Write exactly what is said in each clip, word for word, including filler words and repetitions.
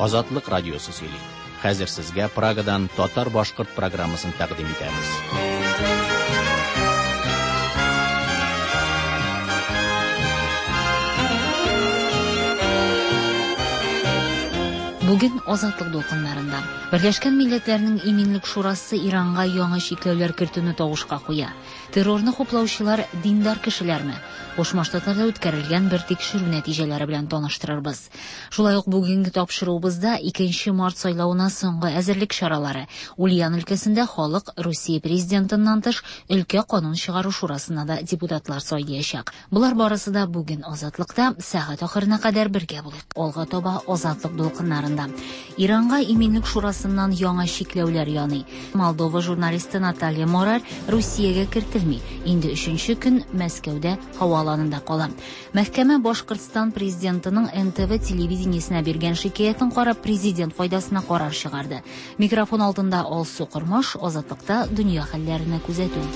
Азатлык радиосы сөйли. Хәзер сезгә Прагадан татар-башкорт программасын тәкъдим итәбез. Бүген Азатлык дулкыннарында Берләшкән Милләтләрнең Иминлек Шурасы Иранга яңа чикләүләр кертүне тавышка куя. Террорны хуплаучылар диндар кешеләрме? Кушма Штатларда үткәрелгән бер тикшерү нәтиҗәләре белән таныштырырбыз. Шулай ук бүгенге тапшыруыбызда икенче март сайлавына соңгы әзерлек чаралары. Ульян өлкәсендә халык Русия президентыннан тыш өлкә канун чыгару шурасына да депутатлар сайлаячак. Болар барысы да бүген Азатлыкта сәгать ахырына кадәр бергә булыйк. Алга таба Азатлык дулкыннарында. Иранга Иминлек Шурасыннан яңа чикләүләр яный. Молдова журналисты Наталья Морар Русиягә кертелми. Инде өченче көн Мәскәүдә һава аланында кала. Мәхкәмә Башкортстан президентының эн тэ вэ телевидениесенә биргән шикаятен карап президент файдасына карар чыгарды. Микрофон алдында Алсу Кормаш, Азатлыкта дөнья хәлләренә күзәтү.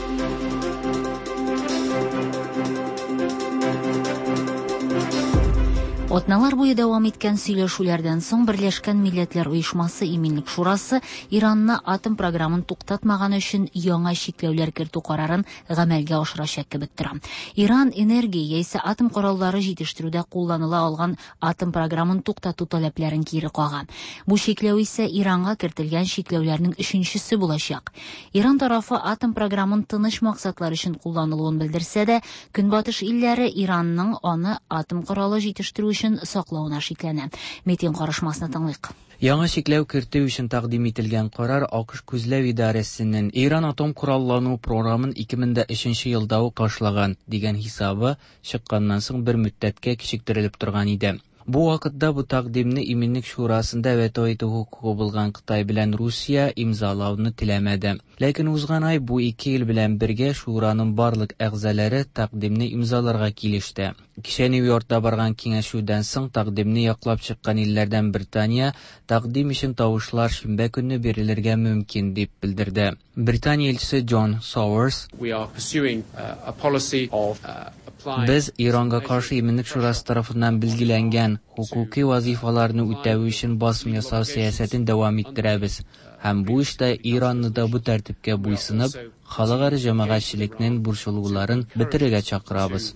Атналар буе дәвам иткән сөйләшүләрдән соң Берләшкән Милләтләр Оешмасы Иминлек Шурасы Иранны атом програмын туктатмаган өчен яңа чикләүләр кертү карарын гамәлгә ашырачак кебек тора. Иран энергия яисә атом кораллары җитештерүдә кулланыла алган атом програмын туктату таләпләрен кире кага. Бу чикләү исә Иранга кертелгән чикләүләрнең өченчесе булачак. Иран тарафы атом програмын тыныч максатлар өчен кулланылуын белдерсә дә, Көнбатыш илләре Иранның аны атом коралы җитештерү өчен саклауына шикләнә. Митинг карышмасына тыңлыйк. Яңа чикләү кертү өчен тәкъдим ителгән карар АКШ күзләү идарәсенең Иран атом кораллану програмын ике мең дә өченче елда ук ташлаган дигән хисабы чыкканнан соң бер мөддәткә кичектерелеп торган иде. Бу вакытта бу тәкъдимне Иминлек Шурасында вето итү хокукы булган Кытай белән Русия имзалауны теләмәде. Ләкин узган ай бу ике ил белән бергә Шураның барлык әгъзалары тәкъдимне имзаларга килеште. Кичә Нью-Йоркта барган киңәшүдән соң тәкъдимне яклап чыккан илләрдән Британия тәкъдим өчен тавышлар шимбә көнне бирелергә мөмкин дип белдерде. Британия илчесе Джон Сауэрс: We are pursuing, uh, a policy of, uh, applying Без Иранга каршы Иминлек Шурасы тарафыннан билгеләнгән хукуки вазифаларны үтәү өчен басым ясау сәясәтен дәвам иттерәбез. Һәм бу эштә Иранны да бу тәртипкә буйсынып, халыкара җәмәгатьчелекнең борчылуларын бетерергә чакырабыз.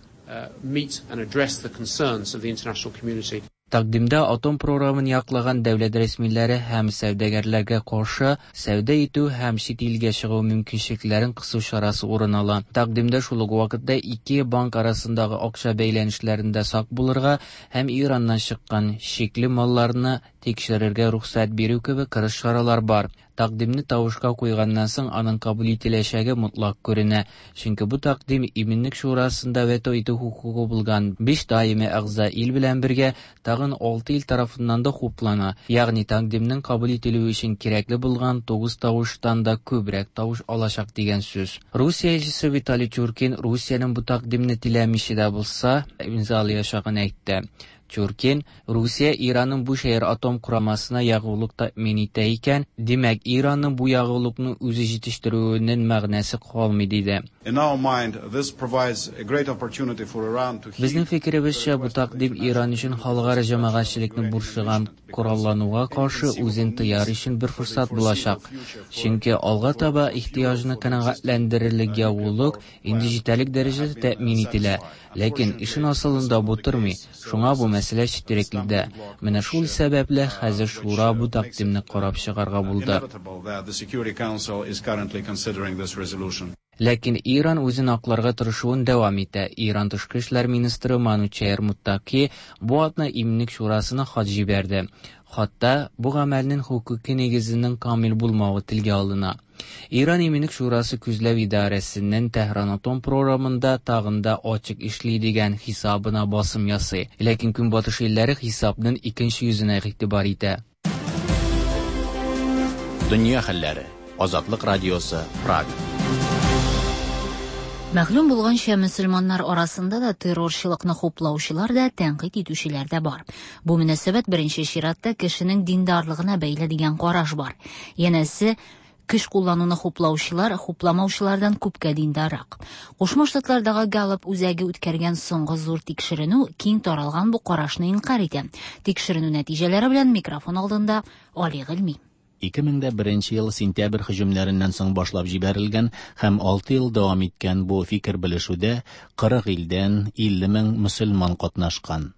Meet and address the concerns of the international community. Тәкъдимдә атом програмын яклаган дәүләт рәсмиләре һәм сәүдәгәрләргә каршы сәүдә итү һәм чит илгә чыгу мөмкинчелекләрен кысу чарасы урын ала. Тәкъдимдә шул ук вакытта ике банк арасындагы акча бәйләнешләрендә сак булырга һәм Ираннан чыккан шикле малларны тикшерергә рөхсәт бирү кебек кырыс чаралар бар. Тәкъдимне тавышка куйганнан соң аның кабул ителәчәге мотлак күренә. Чөнки бу тәкъдим Иминлек Шурасында вето итү хокукы булган биш даими әгъза ил белән бергә тагын алты ил тарафыннан да хуплана. Ягъни тәкъдимнең кабул ителүе өчен кирәкле булган тугыз тавыштан да күбрәк тавыш алачак дигән сүз. Русия илчесе Виталий Чуркин Русиянең бу тәкъдимне теләмичә дә булса имзалаячагын әйтте. Чуркин, Русия Иранның бу шәһәр атом корамасына ягулык тәэмин итә икән, димәк Иранның бу ягулыкны үзе җитештерүенең мәгънәсе калмый диде. In our mind, this provides a great opportunity for Iran to Безнең фикеребезчә, бу тәкъдим Иран өчен халыкара җәмәгатьчелекне борчыган кораллануга каршы үзен тыяр өчен бер форсат булачак. Чөнки алга таба ихтыяҗны канәгатьләндерерлек ягулык инде җитәрлек дәрәҗәдә тәэмин ителә. Ләкин эшен асылында бу тормый. Шуңа бу мәсьәлә четерекледә. Менә шул сәбәпле хәзер Шура бу тәкъдимне карап чыгарга булды. Ләкин Иран үзен акларга тырышуын дәвам итә. Иран тышкы эшләр министры Манучехр Муттаки бу атна Иминлек Шурасына хат җибәрде. Хатта бу гамәлнең хукуки нигезенең камил булмавы телгә алына. Иран Иминлек Шурасы күзләү идарәсеннән Тәһран атом програмында тагын да ачык эшли дигән хисабына басым ясый. Ләкин Көнбатыш илләре хисапның икенче йөзенә игътибар итә. Дөнья хәлләре. Азатлык радиосы, Прага. Мәгълүм булганча, мөселманнар арасында да террорчылыкны хуплаучылар да, тәнкыйть итүчеләр дә бар. Бу мөнәсәбәт беренче чиратта кешенең диндарлыгына бәйле дигән караш бар. Янәсе, Көч куллануны хуплаучылар хупламаучылардан күпкә диндаррак. Кушма Штатлардагы Галлоп үзәге үткәргән соңгы зур тикшеренү киң таралган бу карашны инкарь итә. Тикшеренү нәтиҗәләре белән микрофон алдында Али Гыйльми. ике мең дә беренче ел сентябрь һөҗүмнәреннән соң башлап җибәрелгән һәм алты ел дәвам иткән бу фикер белешүдә кырык илдән илле мең мөселман катнашкан.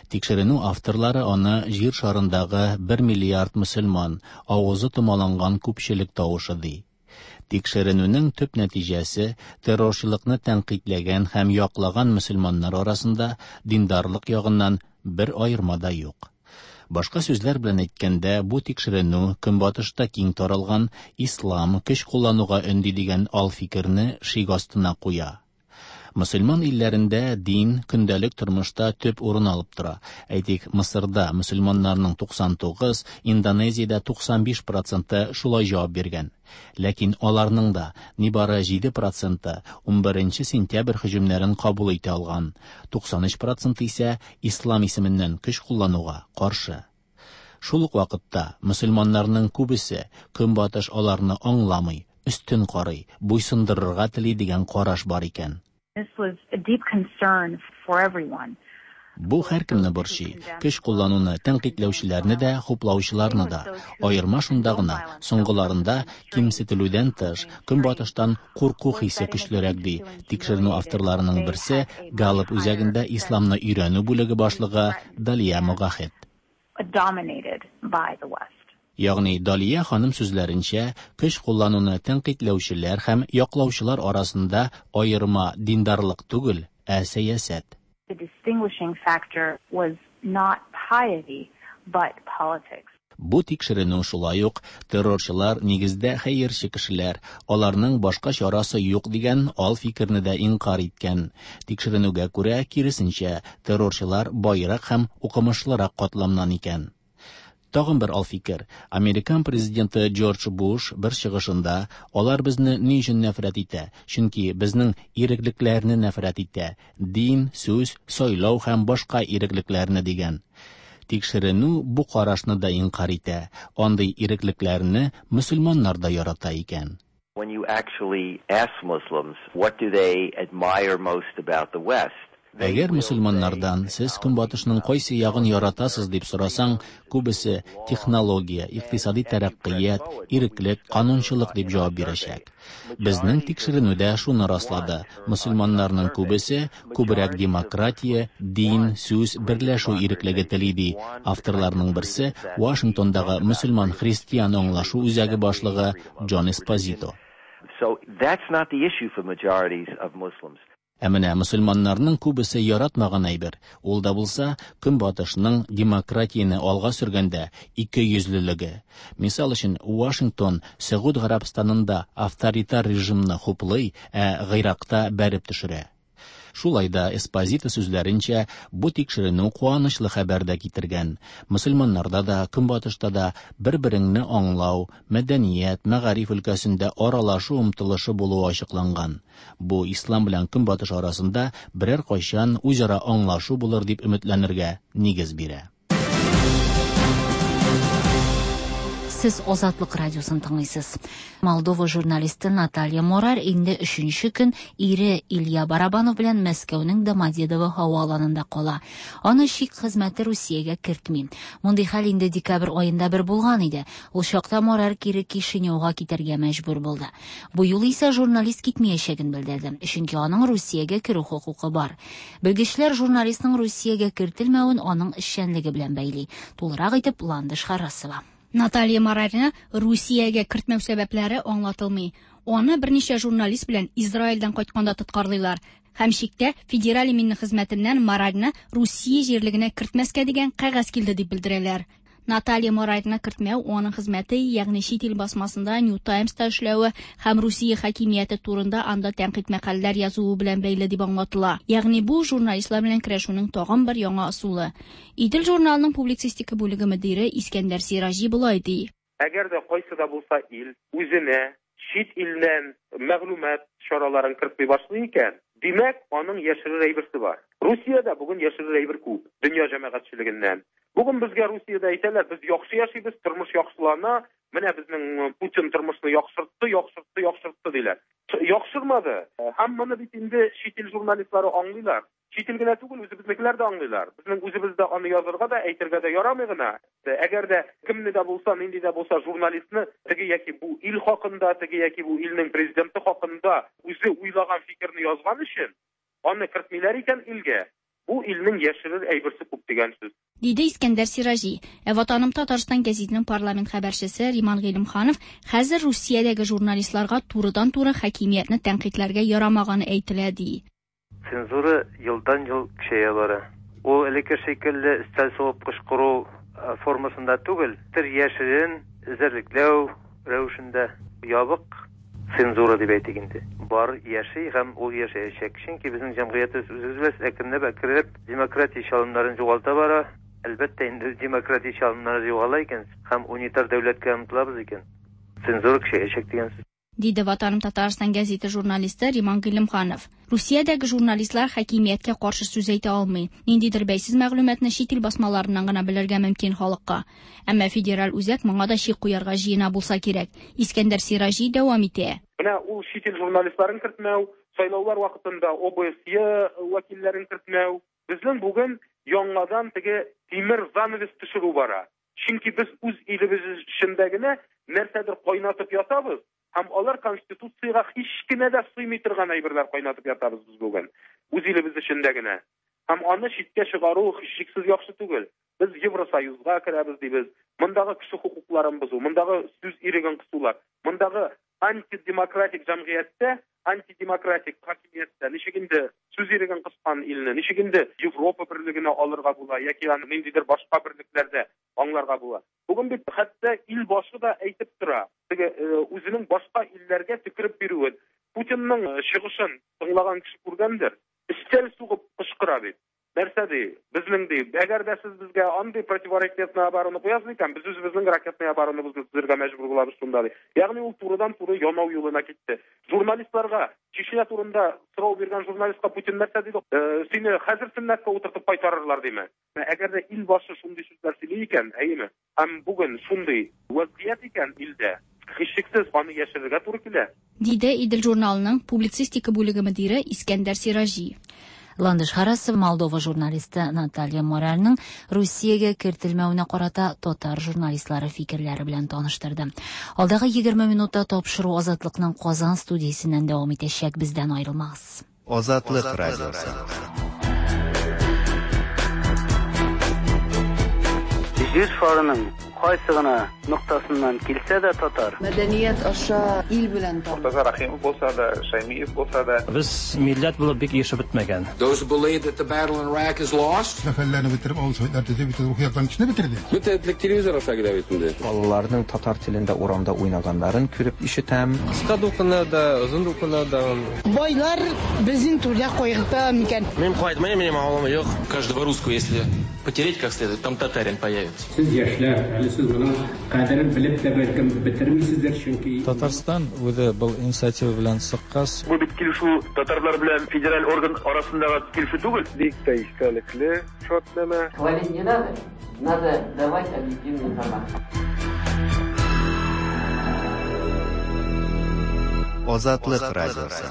Тикшеренү авторлары аны җир шарындагы бер миллиард мөселман авызы томаланган күпчелек тавышы ди. Тикшеренүнең төп нәтиҗәсе террорчылыкны тәнкыйтьләгән һәм яклаган мөселманнар арасында диндарлык ягыннан бер аерма да юк. Башка сүзләр белән әйткәндә, бу тикшеренү Көнбатышта киң таралган ислам көч куллануга өнди дигән ал фикерне шик астына куя. Мөселман илләрендә дин көндәлек тормышта төп урын алып тора. Әйтик, Мысырда мөселманнарның туксан тугыз, Индонезиядә туксан биш проценты шулай җавап биргән. Ләкин аларның да нибары җиде проценты унберенче сентябрь һөҗүмнәрен кабул итә алган. Туксан өч проценты исә ислам исеменнән көч куллануга каршы. Шул ук вакытта мөселманнарның күбесе Көнбатыш аларны аңламый, өстен карый, буйсындырырга тели дигән караш бар икән. This was a deep concern for everyone. Бу һәркемне борчый. Көч куллануны тәнкыйтьләүчеләрне дә, хуплаучыларны да. Аерма шунда гына, соңгыларында кимсетелүдән тыш, Көнбатыштан курку хисе көчлерәк ди. Тикшеренү авторларының берсе Галлоп үзәгендә исламны өйрәнү бүлеге башлыгы Далия Могахет. Dominated by the West. Ягъни Далия ханым сүзләренчә, көч куллануны тәнкыйтьләүчеләр һәм яклаучылар арасында аерма диндарлык түгел, ә сәясәт. The distinguishing factor was not piety, but politics. Бу тикшеренү шулай ук террорчылар нигездә хәерче кешеләр, аларның башка чарасы юк дигән ал фикерне дә инкар иткән. Тикшеренүгә күрә, киресенчә, террорчылар байрак һәм укымышлырак катламнан икән. Тагын бер ал фикер. Американ президенты Джордж Буш бер чыгышында алар безне ни өчен нәфрәт итә? Чөнки безнең иреклекләрне нәфрәт итә. Дин, сүз, сайлау һәм башка иреклекләрне дигән. Тикшеренү бу карашны да инкар итә. Андый иреклекләрне мөселманнар да ярата икән. When you actually ask Muslims, what do they admire most about the West? Әгәр мөселманнардан сез Көнбатышның кайсы ягын яратасыз дип сорасаң, күбесе технология, икътисади тәрәккыят, иреклек, канунчылык дип җавап бирәчәк. Безнең тикшеренүдә шуны раслады. Мөселманнарның күбесе күбрәк демократия, дин, сүз, берләшү иреклеге тели ди. Авторларның берсе Вашингтондагы мөселман христиан аңлашу үзәге башлыгы Джон Эспозито. So that's not the issue for majorities of Muslims. Ә менә мөселманнарның күбесе яратмаган әйбер, ул да булса Көнбатышның демократияне алга сөргәндә ике йөзлелеге. Мисал өчен, Вашингтон Сәгуд Гарәбстанында авторитар режимны хуплый, ә Гыйракта бәреп төшерә. Шулай да Эспозито сүзләренчә, бу тикшеренү куанычлы хәбәр дә китергән. Мөселманнарда да, Көнбатышта да бер-береңне аңлау, мәдәният, мәгариф өлкәсендә аралашу омтылышы булуы ачыкланган. Бу ислам белән Көнбатыш арасында берәр кайчан үзара аңлашу булыр дип өметләнергә нигез бирә. Сез Азатлык радиосын тыңлыйсыз. Молдова журналисты Наталья Морар инде өченче көн ире Илья Барабанов белән Мәскәүнең Домодедово һава аланында кала. Аны чик хезмәте Русиягә кертми. Мондый хәл инде декабрь аенда бер булган иде. Ул чакта Морар кире Кишиневга китәргә мәҗбүр булды. Бу юлы исә журналист китмәячәген белдерде, чөнки аның Русиягә керү хокукы бар. Белгечләр журналистның Русиягә кертелмәвен аның эшчәнлеге белән бәйли. Тулырак итеп Ландыш Харасова. Наталья Морарны Русиягә кертмәү сәбәпләре аңлатылмый. Аны берничә журналист белән Израильдән кайтканда тоткарлыйлар. Һәм чиктә Федераль иминлек хезмәтеннән Морарны Русия җирлегенә кертмәскә дигән кәгазь килде дип белдерәләр. Наталья Морарны кертмәү аның хезмәте, ягъни чит ил басмасында New Times-та эшләве һәм Русия хакимияте турында анда тәнкыйть мәкаләләр язуы белән бәйле дип аңлатыла. Ягъни бу журналистлар белән көрәшүнең тагын бер яңа ысулы. Идел журналының публицистика бүлеге мөдире Искәндәр Сираҗи болай ди. Әгәр дә кайсы да булса ил үзенә чит илдән мәгълүмат чараларын кертми башлый икән, Димәк, аның яшерер әйберсе бар. Русиядә бүген яшерер әйбер күп, дөнья җәмәгатьчелегеннән. Бүген безгә Русиядә әйтәләр, без яхшы яшибез, тормыш яхшылана, менә безнең Путин тормышны яхшыртты, яхшыртты, яхшыртты диләр. Яхшырмады. Һәм моны бит инде чит ил журналистлары аңлыйлар. Чит ил генә түгел, үзебезнекеләр дә аңлыйлар. Безнең үзебездә аны язырга да, әйтергә дә ярамый гына. Әгәр дә кемне дә булса, нинди дә булса журналистны теге яки бу ил хакында, теге яки бу илнең президенты хакында үзе уйлаган фикерне язган өчен аны кертмиләр икән илгә, бу илнең яшерер әйберсе күп дигән сүз. Диде Искәндәр Сираҗи. Ә Ватаным Татарстан гәзитенең парламент хәбәрчесе Риман Гыйлемханов хәзер Русиядәге журналистларга турыдан-туры хакимиятне тәнкыйтьләргә ярамаганы әйтелә ди. Цензура елдан-ел көчәя бара. Ул элекке шикелле өстәл сугып кычкыру формасында түгел, тер яшерен эзәрлекләү рәвешендә ябык цензура дип әйтик инде. Бар яши һәм ул яшәячәк. Чөнки безнең җәмгыятебез үзебез әкренләп әкренләп демократия чалымнарын югалта бара. Әлбәттә инде демократия чалымнары югала икән һәм унитар дәүләткә омтылабыз икән, цензура көчәячәк дигән сүз. Диде Ватаным Татарстан гәзите журналисты Риман Гыйлемханов. Русиядәге журналистлар хакимияткә каршы сүз әйтә алмый. Ниндидер бәйсез мәгълүматны чит ил басмаларыннан гына белергә мөмкин халыкка. Әмма федераль үзәк моңа да чик куярга җыена булса кирәк. Искәндәр Сираҗи дәвам итә. Менә ул чит ил журналистларын кертмәү, сайлаулар вакытында ОБСЕ вәкилләрен кертмәү. Безнең бүген яңадан теге тимер занавес төшерү бара. Чөнки без үз илебез эчендә генә нәрсәдер кайнатып ятабыз. Һәм алар конституциягә һич кенә дә сыймый торган әйберләр кайнатып ятабыз без бүген. Үз илебез эчендә генә. Һәм аны читкә чыгару һичшиксез яхшы түгел. Без Евросоюзга керәбез дибез. Мондагы кеше хокукларын бозу, мондагы сүз иреген кысулар, мондагы антидемократик җәмгыятьтә, антидемократик хакимияттә ничек инде сүз иреген кыскан илне, ничек инде Европа берлегенә алырга була яки аны ниндидер башка берлекләрдә аңларга була. Бүген бит хәтта ил башы да әйтеп тора, теге үзенең башка илләргә төкереп бирүен. Путинның чыгышын тыңлаган кеше күргәндер, өстәл сугып кычкыра бит. Нәрсә ди? Безнең ди, әгәр дә сез безгә андый противоракетный оборона куясыз икән, без үзебезнең ракетный оборонабызны төзергә мәҗбүр булабыз шунда ди. Ягъни ул турыдан-туры янау юлына китте. Журналистларга Чечня турында сорау биргән журналистка Путин нәрсә диде? Сине хәзер сөннәткә утыртып кайтарырлар диме? Әгәр дә ил башы шундый сүзләр сөйли икән, әйеме? Һәм бүген шундый вазгыять икән илдә, һичшиксез аны яшерергә туры килә. Диде Идел журналының публицистика бүлеге мөдире Искәндәр Сираҗи. Ландыш Харасов Молдова журналисты Наталья Моральның Русиягә кертелмәвенә карата татар журналистлары фикерләре белән таныштырды. Алдагы егерме минутта тапшыру Азатлыкның Казан студиясеннән дәвам итәчәк. Бездән аерылмагыз. Азатлык радиосы. Җир шарының кайсы гына ноктасыннан килсә дә татар. Мәдәният аша ил белән таныш. Мортаза Рахимов булса да, Шаймиев булса да. Без милләт булып бик яшәп бетмәгән. Those who believe that the battle in Iraq is lost. Сәфәрләрне бетереп, авыл советлар төзеп, бөтен рухи яктан кешене бетерде. Бөтен телевизор аша килә бит инде. Балаларның татар телендә урамда уйнаганнарын күреп ишетәм. Кыска дулкыннарда, озын дулкыннарда. Байлар безнең түрдә кайгырта микән? Мин кайтмыйм, минем авылым юк. Каждого русского, если потереть как следует, там татарин появится. Сез яшьләр, әле сез моның кадерен белеп тә бәлкем бетермисездер, чөнки Татарстан үзе был инициатива белән чыккач. Бу бит килешү татарлар белән федераль орган арасындагы килешү түгел. Бик тә истәлекле шартнамә. Хвалить не надо, надо давать объективную информацию. Азатлык радиосы.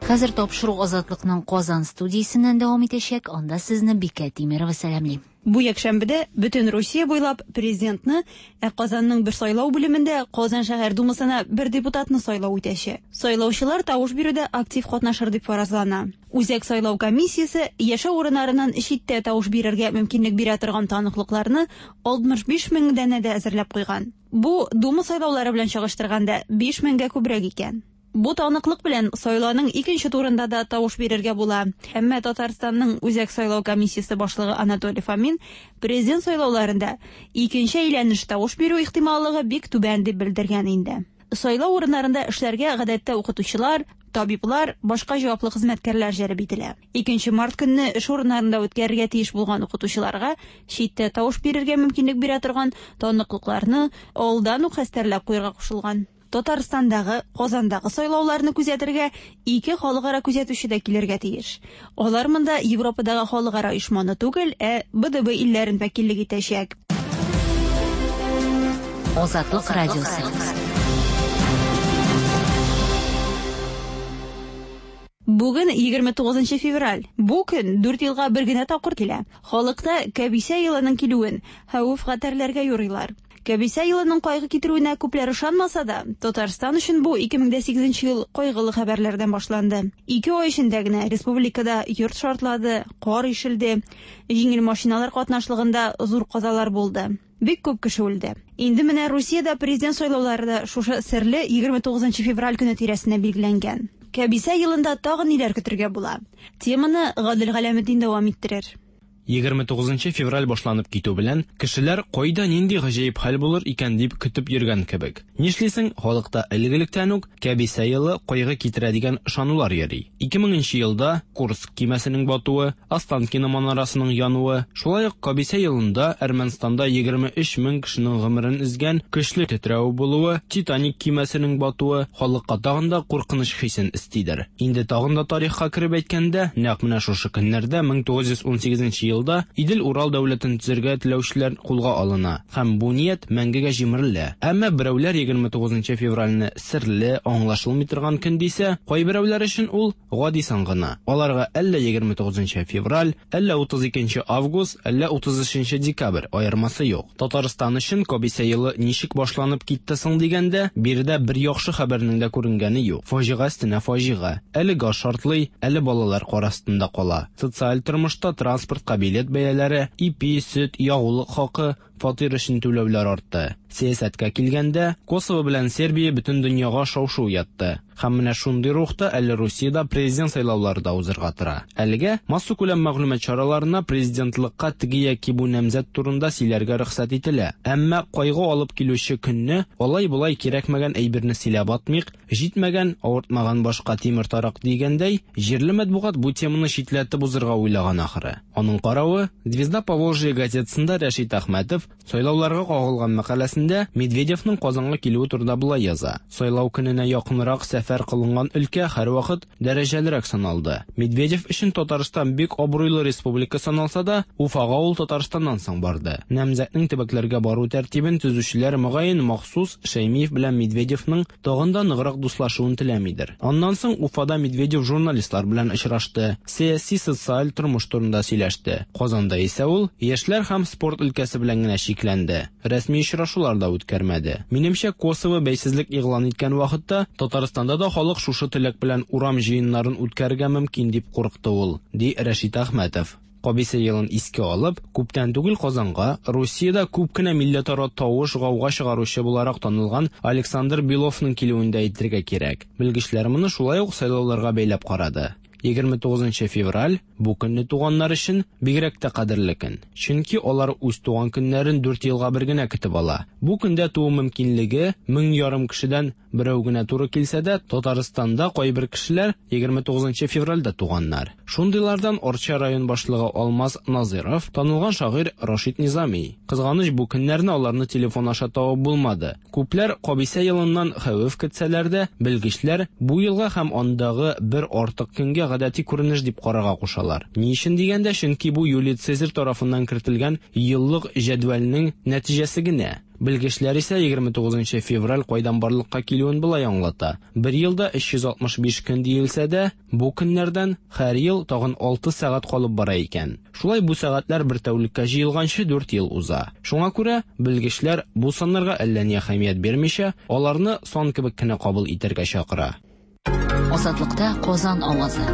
Хәзер тапшыру Азатлыкның Казан студиясеннән дәвам итәчәк. Анда сезне Бикә Тимирова сәламли. Бу якшәмбедә бөтен Русия буйлап президентны, ә Казанның бер сайлау бүлемендә Казан шәһәр думасына бер депутатны сайлау үтәчәк. Сайлаучылар тавыш бирүдә актив катнашыр дип фаразлана. Үзәк сайлау комиссиясе яшәү урыннарыннан читтә тавыш бирергә мөмкинлек бирә торган таныклыкларны алтмыш биш мең данәдә әзерләп куйган. Бу дума сайлаулары белән чагыштырганда биш меңгә күбрәк икән. Бу таныклык белән сайлауның икенче турында да тавыш бирергә була. Әмма Татарстанның Үзәк сайлау комиссиясе башлыгы Анатолий Фомин президент сайлауларында икенче әйләнеш тавыш бирү ихтималлыгы бик түбән дип белдергән инде. Сайлау урыннарында эшләргә гадәттә укытучылар, табиблар, башка җаваплы хезмәткәрләр җәлеп ителә. Икенче март көнне эш урыннарында үткәрергә тиеш булган укытучыларга читтә тавыш бирергә мөмкинлек бирә торган таныклыкларны алдан ук хәстәрләп куярга кушылган. Татарстандагы, Казандагы сайлауларны күзәтергә ике халыкара күзәтүче дә килергә тиеш. Алар монда Европадагы халыкара оешманы түгел, ә Б Д Б илләрен вәкиллек итәчәк. Азатлык радиосы. Бүген егерме тугызынчы февраль. Бу көн дүрт елга бер генә тапкыр килә. Халыкта кәбисә елының килүен хәвеф-хәтәрләргә юрыйлар. Кәбисә елының кайгы китерүенә күпләр ышанмаса да, Татарстан өчен бу ике мең дә сигезенче ел кайгылы хәбәрләрдән башланды. Ике ай эчендә генә республикада йорт шартлады, кар ишелде, җиңел машиналар катнашлыгында зур казалар булды. Бик күп кеше үлде. Инде менә Русиядә президент сайлаулары да шушы серле егерме тугызынчы февраль көне тирәсенә билгеләнгән. Кәбисә елында тагын ниләр көтергә була? Теманы Гадел Галәметдин дәвам иттерер. егерме тугызынчы февраль башланып китү белән кешеләр кайда нинди гаҗәеп хәл булыр икән дип көтеп йөргән кебек. Нишлисең, халыкта элек-электән үк кәбисә елы кайгы китерә дигән ышанулар йөри. ике меңенче елда Курск кимәсенең батуы, Останкино манарасының януы, шулай ук кәбисә елында Әрмәнстанда егерме өч мең кешенең гомерен өзгән көчле тетрәү булуы, Титаник кимәсенең батуы халыкка тагын да куркыныч хисен өстидер. Инде тагын да тарихка кереп әйткәндә, нәкъ менә шушы көннәрдә мең тугыз йөз унсигезенче елда Идел-Урал дәүләтен төзергә теләүчеләр кулга алына һәм бу ният мәңгегә җимерелә. Әмма берәүләр егерме тугызынчы февральне серле, аңлашылмый торган көн дисә, кайберәүләр өчен ул гади сан гына. Аларга әллә егерме тугызынчы февраль, әллә утыз икенче август, әллә утыз өченче декабрь аермасы юк. Татарстан өчен кәбисә елы ничек башланып китте соң дигәндә, биредә бер яхшы хәбәрнең дә күренгәне юк. Фаҗига өстенә фаҗига. Әле газ шартлый, әле балалар кар астында кала. Социаль тормышта транспортка билет бәяләре, ипи, сөт, ягулык хакы, фатир өчен түләүләр артты. Сәясәткә килгәндә, Косово белән Сербия бөтен дөньяга шау-шу уятты. Һәм менә шундый рухта әле Русиядә президент сайлаулары да узырга тора. Әлегә массакүләм мәгълүмат чараларына президентлыкка теге яки бу намзәт турында сөйләргә рөхсәт ителә. Әмма кайгы алып килүче көнне алай-болай кирәкмәгән әйберне сөйләп атмыйк, җитмәгән, авыртмаган башка тимер тарак дигәндәй, җирле матбугат бу теманы читләтеп узырга уйлаган ахыры. Аның каравы, Звезда Поволжья газетасында Рәшит Әхмәтов сайлауларга кагылган мәкаләсендә Медведевның Казанга килүе турында болай яза. Сайлау көненә якынрак сәфәр кылынган өлкә һәрвакыт дәрәҗәлерәк саналды. Медведев өчен Татарстан бик абруйлы республика саналса да, Уфага ул Татарстаннан соң барды. Намзәтнең төбәкләргә бару тәртибен төзүчеләр мөгаен махсус Шәймиев белән Медведевның тагын да ныграк дуслашуын теләмидер. Аннан соң Уфада Медведев журналистлар белән очрашты, сәяси социаль тормыш турында сөйләште. Казанда исә ул яшьләр һәм спорт өлкәсе белән генә чикләнде. Рәсми очрашулар да үткәрмәде. Минемчә, Косово бәйсезлек игълан иткән вакытта Татарстанда да халык шушы теләк белән урам җыеннарын үткәрергә мөмкин дип курыкты ул, ди Рәшит Әхмәтов. Кәбисә елын искә алып, күптән түгел Казанга Русиядә күп кенә милләтара тавыш гауга чыгаручы буларак танылган Александр Беловның килүен дә әйтергә кирәк. Белгечләр моны шулай ук сайлауларга бәйләп карады. егерме тугызынчы февраль бу көнне туганнар өчен бигрәк тә кадерле көн. Чөнки алар үз туган көннәрен дүрт елга бер генә көтеп ала. Бу көндә туу мөмкинлеге мең ярым кешедән берәү генә туры килсә дә, Татарстанда кайбер кешеләр егерме тугызынчы февральдә туганнар. Шундыйлардан Арча район башлыгы Алмаз Назиров, танылган шагыйрь Рашид Низами. Кызганыч, бу көннәрне аларны телефон аша табып булмады. Күпләр кәбисә елыннан хәвеф көтсәләр дә, белгечләр бу елга һәм андагы бер артык көнгә гадәти күренеш дип карарга кушалар. Ни өчен дигәндә, чөнки бу Юлий Цезарь тарафыннан кертелгән еллык җәдвәлнең нәтиҗәсе генә. Белгечләр исә егерме тугызынчы февраль кайдан барлыкка килүен болай аңлата. Бер елда өч йөз алтмыш биш көн диелсә дә, бу көннәрдән һәр ел тагын алты сәгать калып бара икән. Шулай бу сәгатьләр бер тәүлеккә җыелганчы дүрт ел уза. Шуңа күрә белгечләр бу саннарга әллә ни әһәмият бирмичә, аларны сан кебек кенә кабул итәргә чакыра. Азатлыкта Казан авазы.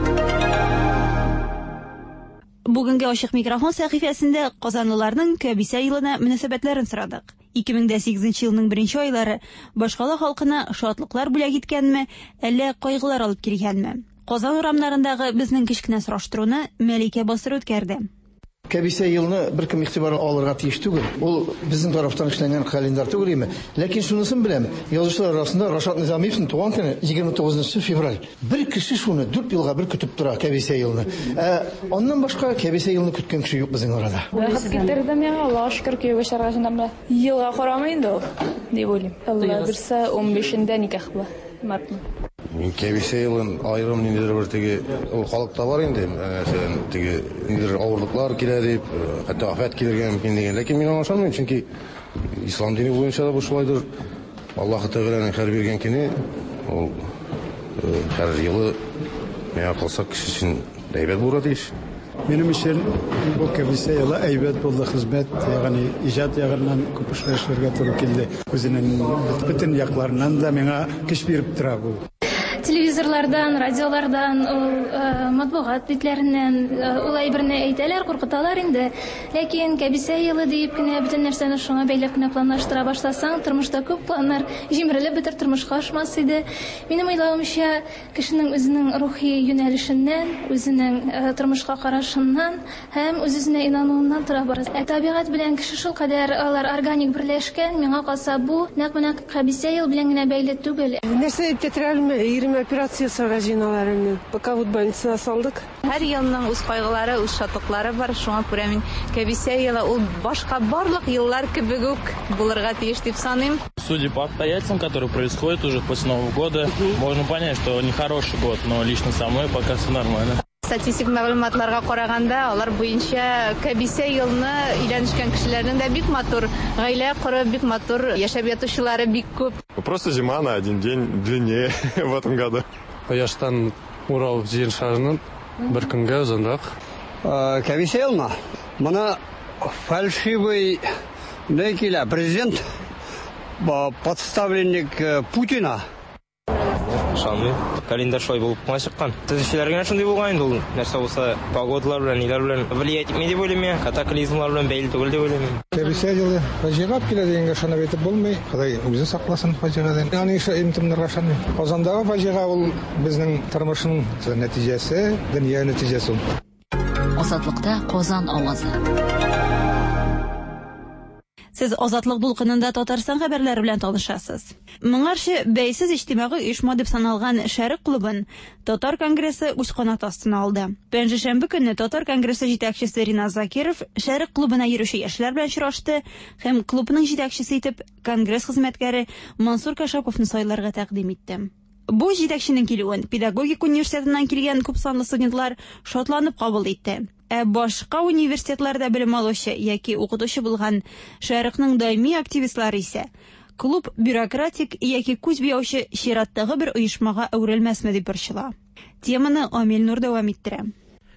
Бүгенге ачык микрофон сәхифәсендә казанлыларның кәбисә елына мөнәсәбәтләрен сорадык. ике мең дә сигезенче елның беренче айлары башкала халкына шатлыклар бүләк иткәнме, әллә кайгылар алып килгәнме? Казан урамнарындагы безнең кечкенә сораштыруны Мәликә Басыр үткәрде. Кәбисә елны беркем игътибарга алырга тиеш түгел. Ул безнең тарафтан эшләнгән календарь түгел име. Ләкин шунысын беләм, язучылар арасында Рашат Низамиевның туган көне егерме тугызынчы февраль. Бер кеше шуны дүрт елга бер көтеп тора кәбисә елны. Ә аннан башка кәбисә елны көткән кеше юк безнең арада. Бәхет китерде миңа, Аллаһка шөкер, кияүгә чыгарга җыенам. Елга карамый инде ул, дип уйлыйм. Алла бирсә, унбишендә никах була, мартның. Мин кәбисә елын аерым ниндидер бер теге ул халыкта бар инде, мәсәлән, теге ниндидер авырлыклар килә дип, хәтта афәт килергә мөмкин дигән. Ләкин мин аңа ышанмыйм, чөнки ислам дине буенча да бу шулайдыр. Аллаһ Тәгаләнең һәр биргән көне ул һәр елы миңа калса кеше өчен әйбәт булырга тиеш. Минем өчен бу кәбисә елы әйбәт булды, хезмәт, ягъни иҗат ягыннан күп эшләр эшләргә туры килде. Үзенең бөтен якларыннан да миңа көч биреп тора бу. Телевизорлардан, радиолардан, ул матбугат битләреннән ул әйберне әйтәләр, куркыталар инде. Ләкин кәбисә елы диеп кенә бөтен нәрсәне шуңа бәйләп кенә планлаштыра башласаң, тормышта күп планнар җимерелеп бетер, тормышка ашмас иде. Минем уйлавымча, кешенең үзенең рухи юнәлешеннән, үзенең тормышка карашыннан һәм үз-үзенә инануыннан тора барасы. Ә табигать белән кеше шулкадәр алар органик берләшкән, миңа калса бу нәкъ менә кәбисә ел белән генә бәйле түгел. Нәрсә дип тетрәлме? Ирем операция ясарга җыеналар инде. Пока вот больницага салдык. Һәр елның үз кайгылары, үз шатлыклары бар. Шуңа күрә мин кәбисә елы ул башка барлык еллар кебек үк булырга тиеш дип саныйм. Судя по обстоятельствам, которые происходят уже после Нового года, можно понять, что нехороший год, но лично со мной пока все нормально. Статистик мәгълүматларга караганда, алар буенча кәбисә елны өйләнешкән кешеләрнең дә бик матур гаилә корып, бик матур яшәп ятучылары бик күп. Просто зима на один день длиннее в этом году. Кояштан Урал җир шарының бер көнгә озынрак. Кәбисә елны моны фальшивый не килә, президент, подставленник Путина. Ышанмыйм. Календарь шулай булып кына чыккан. Төзүчеләр генә шундый булган инде ул. Нәрсә булса, погодалар белән, ниләр белән влиять итми дип уйлыйм мин. Катаклизмлар белән бәйле түгел дип уйлыйм. Кәбисә елы фаҗига килә дигәнгә ышанып әйтеп булмый. Ходай үзе сакласын фаҗигадан. Аны имтимнәргә ышанмыйм. Казандагы фаҗига ул безнең тормышның нәтиҗәсе, дөнья нәтиҗәсе ул. Азатлыкта Казан авазы. Сез Азатлык дулкынында Татарстан хәбәрләре белән танышасыз. Моңарчы бәйсез иҗтимагый оешма дип саналган Шәрык клубын Татар конгрессы үз канаты астына алды. Пәнҗешәмбе көнне Татар конгрессы җитәкчесе Ринат Закиров Шәрык клубына йөрүче яшьләр белән очрашты һәм клубның җитәкчесе итеп конгресс хезмәткәре Мансур Кашаповны сайларга тәкъдим итте. Бу җитәкченең килүен педагогик университетыннан килгән күпсанлы студентлар шатланып кабул итте. Ә башка университетларда белем алучы яки укытучы булган Шәрыкның даими активистлары исә клуб бюрократик яки күз буяучы чираттагы бер оешмага әверелмәсме дип борчыла. Теманы Амил Нур дәвам иттерә.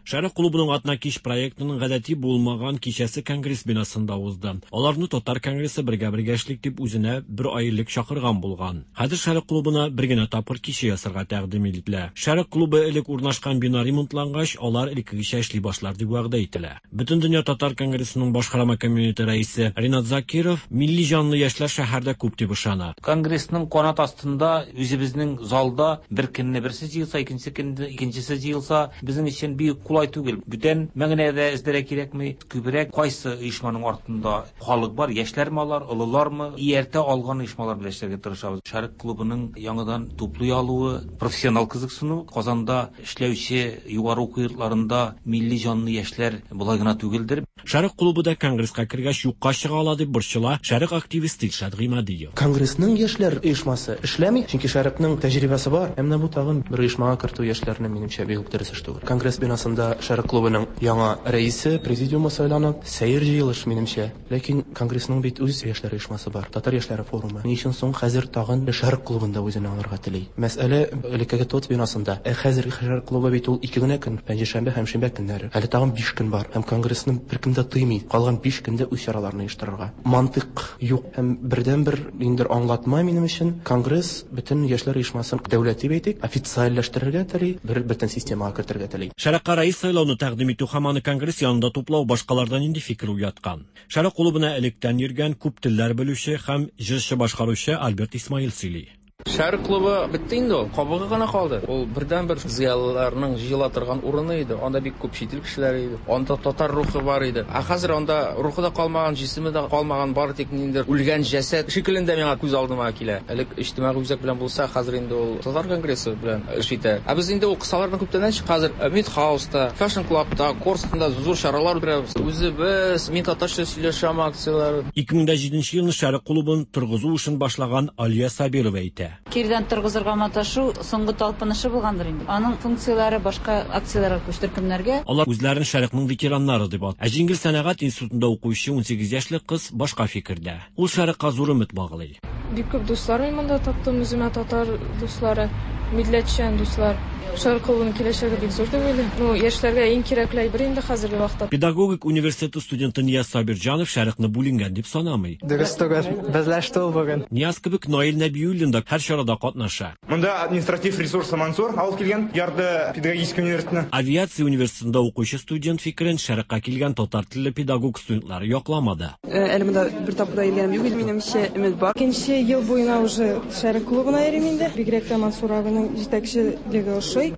Шәрык клубының атна кич проектының гадәти булмаган кичәсе конгресс бинасында узды. Аларны Татар конгрессы бергә-бергә эшлик дип үзенә бер ай элек чакырган булган. Хәзер Шәрык клубына бер генә тапкыр кичә ясарга тәкъдим ителә. Шәрык клубы элек урнашкан бина ремонтлангач, алар элеккегечә эшли башлар дип вәгъдә ителә. Бөтендөнья Татар конгрессының башкарма комитеты рәисе Ринат Закиров милли җанлы яшьләр шәһәрдә күп дип ышана. Конгрессның канат астында үзебезнең залда бер көнне берсе җыелса, икенче көнне икенчесе җыелса, безнең өчен бик кулай түгел. Бүтән мәгънәдә эзләргә кирәкми. Күбрәк кайсы оешманың артында халык бар, яшьләрме алар, олылармы, ияртә алган оешмалар белән эшләргә тырышабыз. Шәрык клубының яңадан туплый алуы, профессионал кызыксыну, Казанда эшләүче югары уку йортларында милли җанлы яшьләр болай гына түгелдер. Шәрык клубы да конгресска кергәч юкка чыга ала дип борчыла Шәрык активисты Илшат Гыймадиев. Конгрессның яшьләр оешмасы эшләми, чөнки Шәрыкның тәҗрибәсе бар. Ә менә бу тагын бер оешмага кертү яшьләрне минемчә бик үк дөрес эш түгел. Конгресс бинасында Шәрык клубының яңа рәисе, президиумы сайлана, сәер җыелыш минемчә. Ләкин конгрессның бит үз яшьләр оешмасы бар, Татар яшьләре форумы. Ни өчен соң хәзер тагын Шәрык клубында үзенә алырга тели? Мәсьәлә элеккеге ТОТ бинасында. Ә хәзерге Шәрык клубы бит ул ике генә көн, пәнҗешәмбе һәм шимбә көннәре. Әле тагын биш көн бар. Һәм конгрессны беркем дә тыймый. Калган биш көндә үз чараларын оештырырга. Мантык юк. Һәм бердән-бер ниндидер аңлатма минем өчен конгресс бөтен яшьләр оешмасын дәүләт дип әйтик, официальләштерергә тели, бер бөтен системага кертергә тели. Шәрыкка рәис сайлауны тәкъдим итү һәм аны конгресс янында туплау башкалардан нинди фикер уяткан? Шәрык клубына электән йөргән күп телләр белүче һәм җырчы башкаручы Альберт Исмаил сөйли. Шәрык клубы бетте инде ул, кабыгы гына калды. Ул бердәнбер зыялыларның җыела торган урыны иде. Анда бик күп чит ил кешеләре иде. Анда татар рухы бар иде. Ә хәзер анда рухы да калмаган, җисеме дә калмаган, бары тик ниндидер үлгән җәсәд шикелендә миңа күз алдыма килә. Элек иҗтимагый үзәк белән булса, хәзер инде ул татар конгрессы белән эш итә. Ә без инде ул кысалардан күптәннән чык, хәзер Мидхауста, Fashion Clubта, Корстонда зур чаралар үткәрәбез. Үзебез мин татарча сөйләшәм акцияләре. ике мең дә җиденче елны Шәрык клубын торгызу эшен башлаган Алия Сабирова әйтә. Кирдән торгызырга маташу соңгы талпынышы булгандыр инде. Аның функцияләре башка акцияләргә күчте, төркемнәргә. Алар үзләрен Шәрыкның ветераннары дип атый. Ә җиңел сәнәгать институтында укучы унсигез яшьлек кыз башка фикердә. Ул Шәрыкка зур өмет баглый. Бик күп дуслар мин монда таптым, үземә татар дуслары, милләтчән дуслар. Шәрык клубының киләчәге бик зур дип уйлыйм. Ну, яшьләргә иң кирәкле әйбер инде хәзерге вакытта. Педагогик университеты студенты Нияз Сабирҗанов Шәрыкны бүленгән дип санамый. Дөрес түгел, берләште ул бүген. Нияз кебек Наил Нәбиуллин да һәр чарада катнаша. Монда административ ресурсы Мансур алып килгән, ярды педагогический университетны. Авиация университетында укучы студент фикерен Шәрыкка килгән татар телле педагог студентлары якламады. Әле монда бер тапкыр да йөргәнем юк, минемчә өмет бар. Икенче ел буена уже Шәрык клубына йөрим инде. Бигрәк тә Мансур абының җитәкчелеге ошый.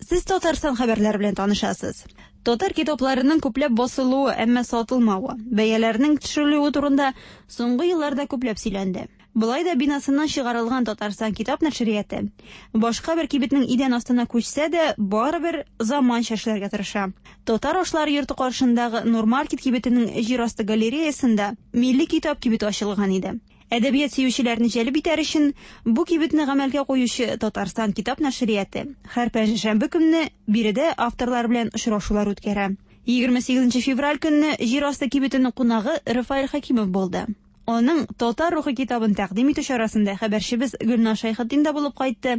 Сез Татарстан хәбәрләре белән танышасыз. Татар китапларының күпләп басылуы, әмма сатылмавы, бәяләренең төшерелүе турында соңгы елларда күпләп сөйләнде. Болай да бинасыннан чыгарылган Татарстан китап нәшрияты башка бер кибетнең идән астына күчсә дә, барыбер заманча эшләргә тырыша. Татар ашлары йорты каршындагы Нурмаркет кибетенең җир асты галереясында милли китап кибете ачылган иде. Әдәбият сөючеләрне җәлеп итәр өчен бу кибетне гамәлгә куючы Татарстан китап нәшрияты һәр пәнҗешәмбе көнне биредә авторлар белән очрашулар үткәрә. егерме сигезенче февраль көнне җир асты кибетенең кунагы Рафаэль Хакимов булды. Аның Татар рухы китабын тәкъдим итү чарасында хәбәрчебез Гөлназ Шәйхетдин дә булып кайтты.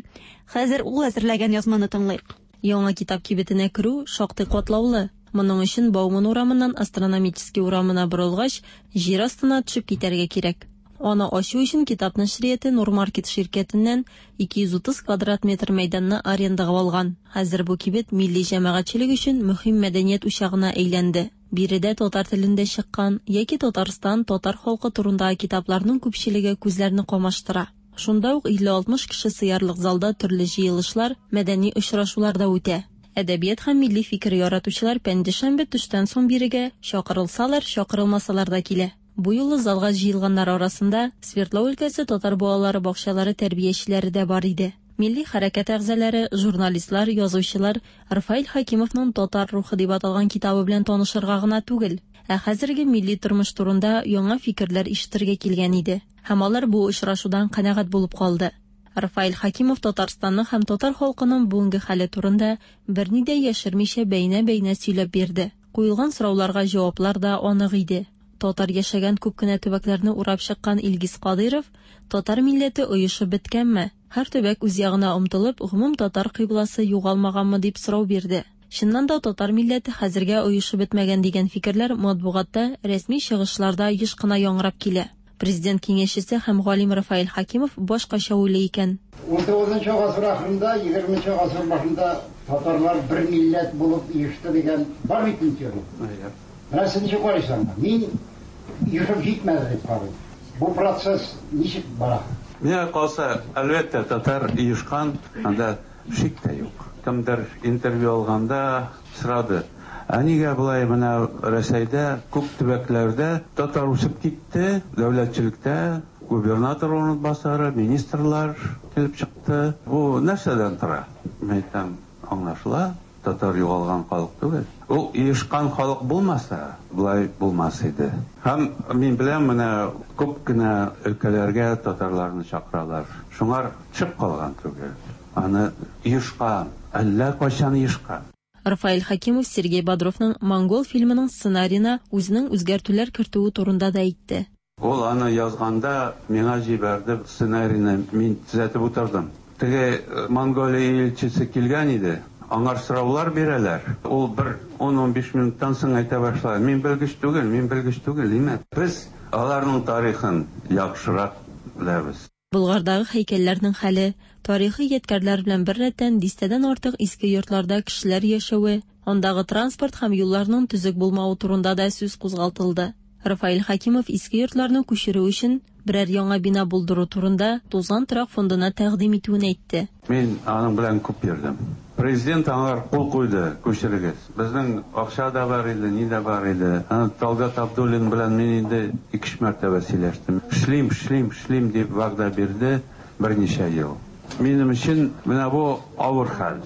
Хәзер ул әзерләгән язманы тыңлыйк. Яңа китап кибетенә керү шактый катлаулы. Моның өчен Бауман урамыннан Астрономический урамына борылгач, җир астына төшеп китәргә кирәк. Аны ачу өчен китап нәшрияты Нурмаркет ширкәтеннән ике йөз утыз квадрат метр мәйданны арендага алган. Хәзер бу кибет милли җәмәгатьчелек өчен мөһим мәдәният учагына әйләнде. Биредә татар телендә чыккан яки Татарстан татар халкы турындагы китапларның күпчелеге күзләрне камаштыра. Шунда ук илле алтмыш кеше сыярлык залда төрле җыелышлар, мәдәни очрашулар да үтә. Әдәбият һәм милли фикер яратучылар пәнҗешәмбе төштән соң бирегә чакырылсалар, чакырылмасалар да килә. Бу юлы залга җыелганнар арасында Свердлов өлкәсе татар балалары бакчалары тәрбиячеләре дә бар иде. Милли хәрәкәт әгъзалары, журналистлар, язучылар Рафаэль Хакимовның Татар рухы дип аталган китабы белән танышырга гына түгел, ә хәзерге милли тормыш турында яңа фикерләр ишетергә килгән иде. Һәм алар бу очрашудан канәгать булып калды. Рафаэль Хакимов Татарстанның һәм татар халкының бүгенге хәле турында берни дә яшермичә бәйнә-бәйнә сөйләп бирде. Куелган сорауларга җаваплар да анык иде. Татар яшәгән күп кенә төбәкләрне урап чыккан Илгиз Кадыйров, татар милләте оешып беткәнме? Һәр төбәк үз ягына омтылып, гомум татар кыйбласы югалмаганмы дип сорау бирде. Чыннан да татар милләте хәзергә оешып бетмәгән дигән фикерләр матбугатта, рәсми чыгышларда еш кына яңгырап килә. Президент киңәшчесе һәм галим Рафаэль Хакимов башкача уйлый икән. ун тугызынчы гасыр ахырында, егерменче гасыр башында татарлар бер милләт булып оешты дигән бар бит инде. Менә сез ничек карыйсыз? Мин оешып җитмәде дип карыйм. Бу процесс ничек бара? Миңа калса, әлбәттә, татар оешкан, анда шик тә юк. Кемдер интервью алганда сорады. Ә нигә болай менә Рәсәйдә күп төбәкләрдә татар үсеп китте, дәүләтчелектә губернатор урынбасары, министрлар килеп чыкты. Бу нәрсәдән тора? Мин әйтәм, аңлашыла, татар югалган халык түгел. Ул оешкан халык булмаса, болай булмас иде. Һәм мин беләм, менә күп кенә өлкәләргә татарларны чакыралар. Шуңар төшеп калган түгел. Аны оешкан, әллә кайчан оешкан. Рафаэль Хакимов Сергей Бодровның Монгол фильмының сценарийына үзенең үзгәртүләр кертүе турында да әйтте. Ул аны язганда миңа җибәрде сценарийны, мин төзәтеп утырдым. Теге Монголия илчесе килгән иде. Аңар сораулар бирәләр. Ул бер ун-ун биш минуттан соң әйтә башлады. Мин белгеч түгел, мин белгеч түгел, димә. Без аларның тарихын яхшырак беләбез. Болгардагы һәйкәлләрнең хәле, тарихи ядкәрләр белән бер рәттән дистәдән артык иске йортларда кешеләр яшәве, андагы транспорт һәм юлларның төзек булмавы турында да сүз кузгалтылды. Рафаэль Хакимов иске йортларны күчерү өчен Берәр яңа бина булдыру турында тузган торак фондына тәкъдим итүен әйтте. Мин аның белән күп йөрдем. Президент аңар кул куйды, күчерегез. Безнең акча да бар иде, ни дә бар иде. Аны Талгат Абдуллин белән мин инде ике-өч мәртәбә сөйләштем. Эшлим, эшлим, эшлим дип вәгъдә бирде берничә ел. Минем өчен менә бу авыр хәл.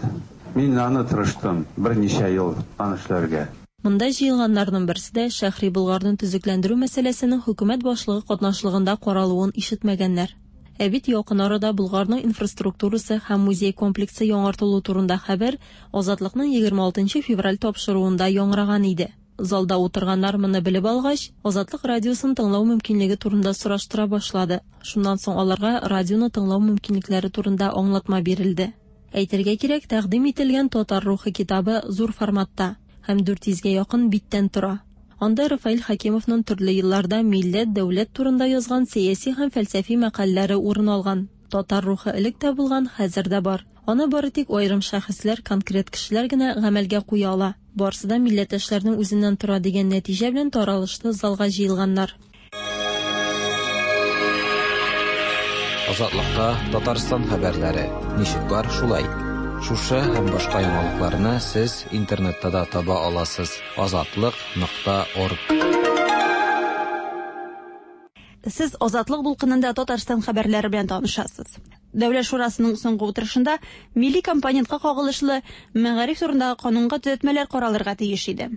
Мин аны тырыштым берничә ел аны эшләргә. Монда җыелганнарның берсе дә Шәһри Болгарны төзекләндерү мәсьәләсенең хөкүмәт башлыгы катнашлыгында каралуын ишетмәгәннәр. Ә бит якын арада Болгарның инфраструктурасы һәм музей комплексы яңартылу турында хәбәр Азатлыкның егерме алтынчы февраль тапшыруында яңгыраган иде. Залда утырганнар моны белеп алгач, Азатлык радиосын тыңлау мөмкинлеге турында сораштыра башлады. Шуннан соң аларга радионы тыңлау мөмкинлекләре турында аңлатма бирелде. Әйтергә кирәк, тәкъдим ителгән Татар рухы китабы зур форматта һәм дүрт йөзгә якын биттән тора. Анда Рафаэль Хәкимовның төрле елларда милләт, дәүләт турында язган сәяси һәм фәлсәфи мәкаләләре урын алган. Татар рухы элек тә булган, хәзер дә бар. Аны бары тик аерым шәхесләр, конкрет кешеләр генә гамәлгә куя ала. Барысы да милләттәшләрнең үзеннән тора дигән нәтиҗә белән таралышты залга җыелганнар. Азатлыкта Татарстан хәбәрләре. Ничек бар, шулай. Шушы һәм башка яңалыкларны сез интернетта да таба аласыз. Азатлык нокта орг. Сез Азатлык дулкынында Татарстан хәбәрләре белән танышасыз. Дәүләт шурасының соңгы утырышында милли компонентка кагылышлы мәгариф турындагы канунга төзәтмәләр каралырга тиеш иде.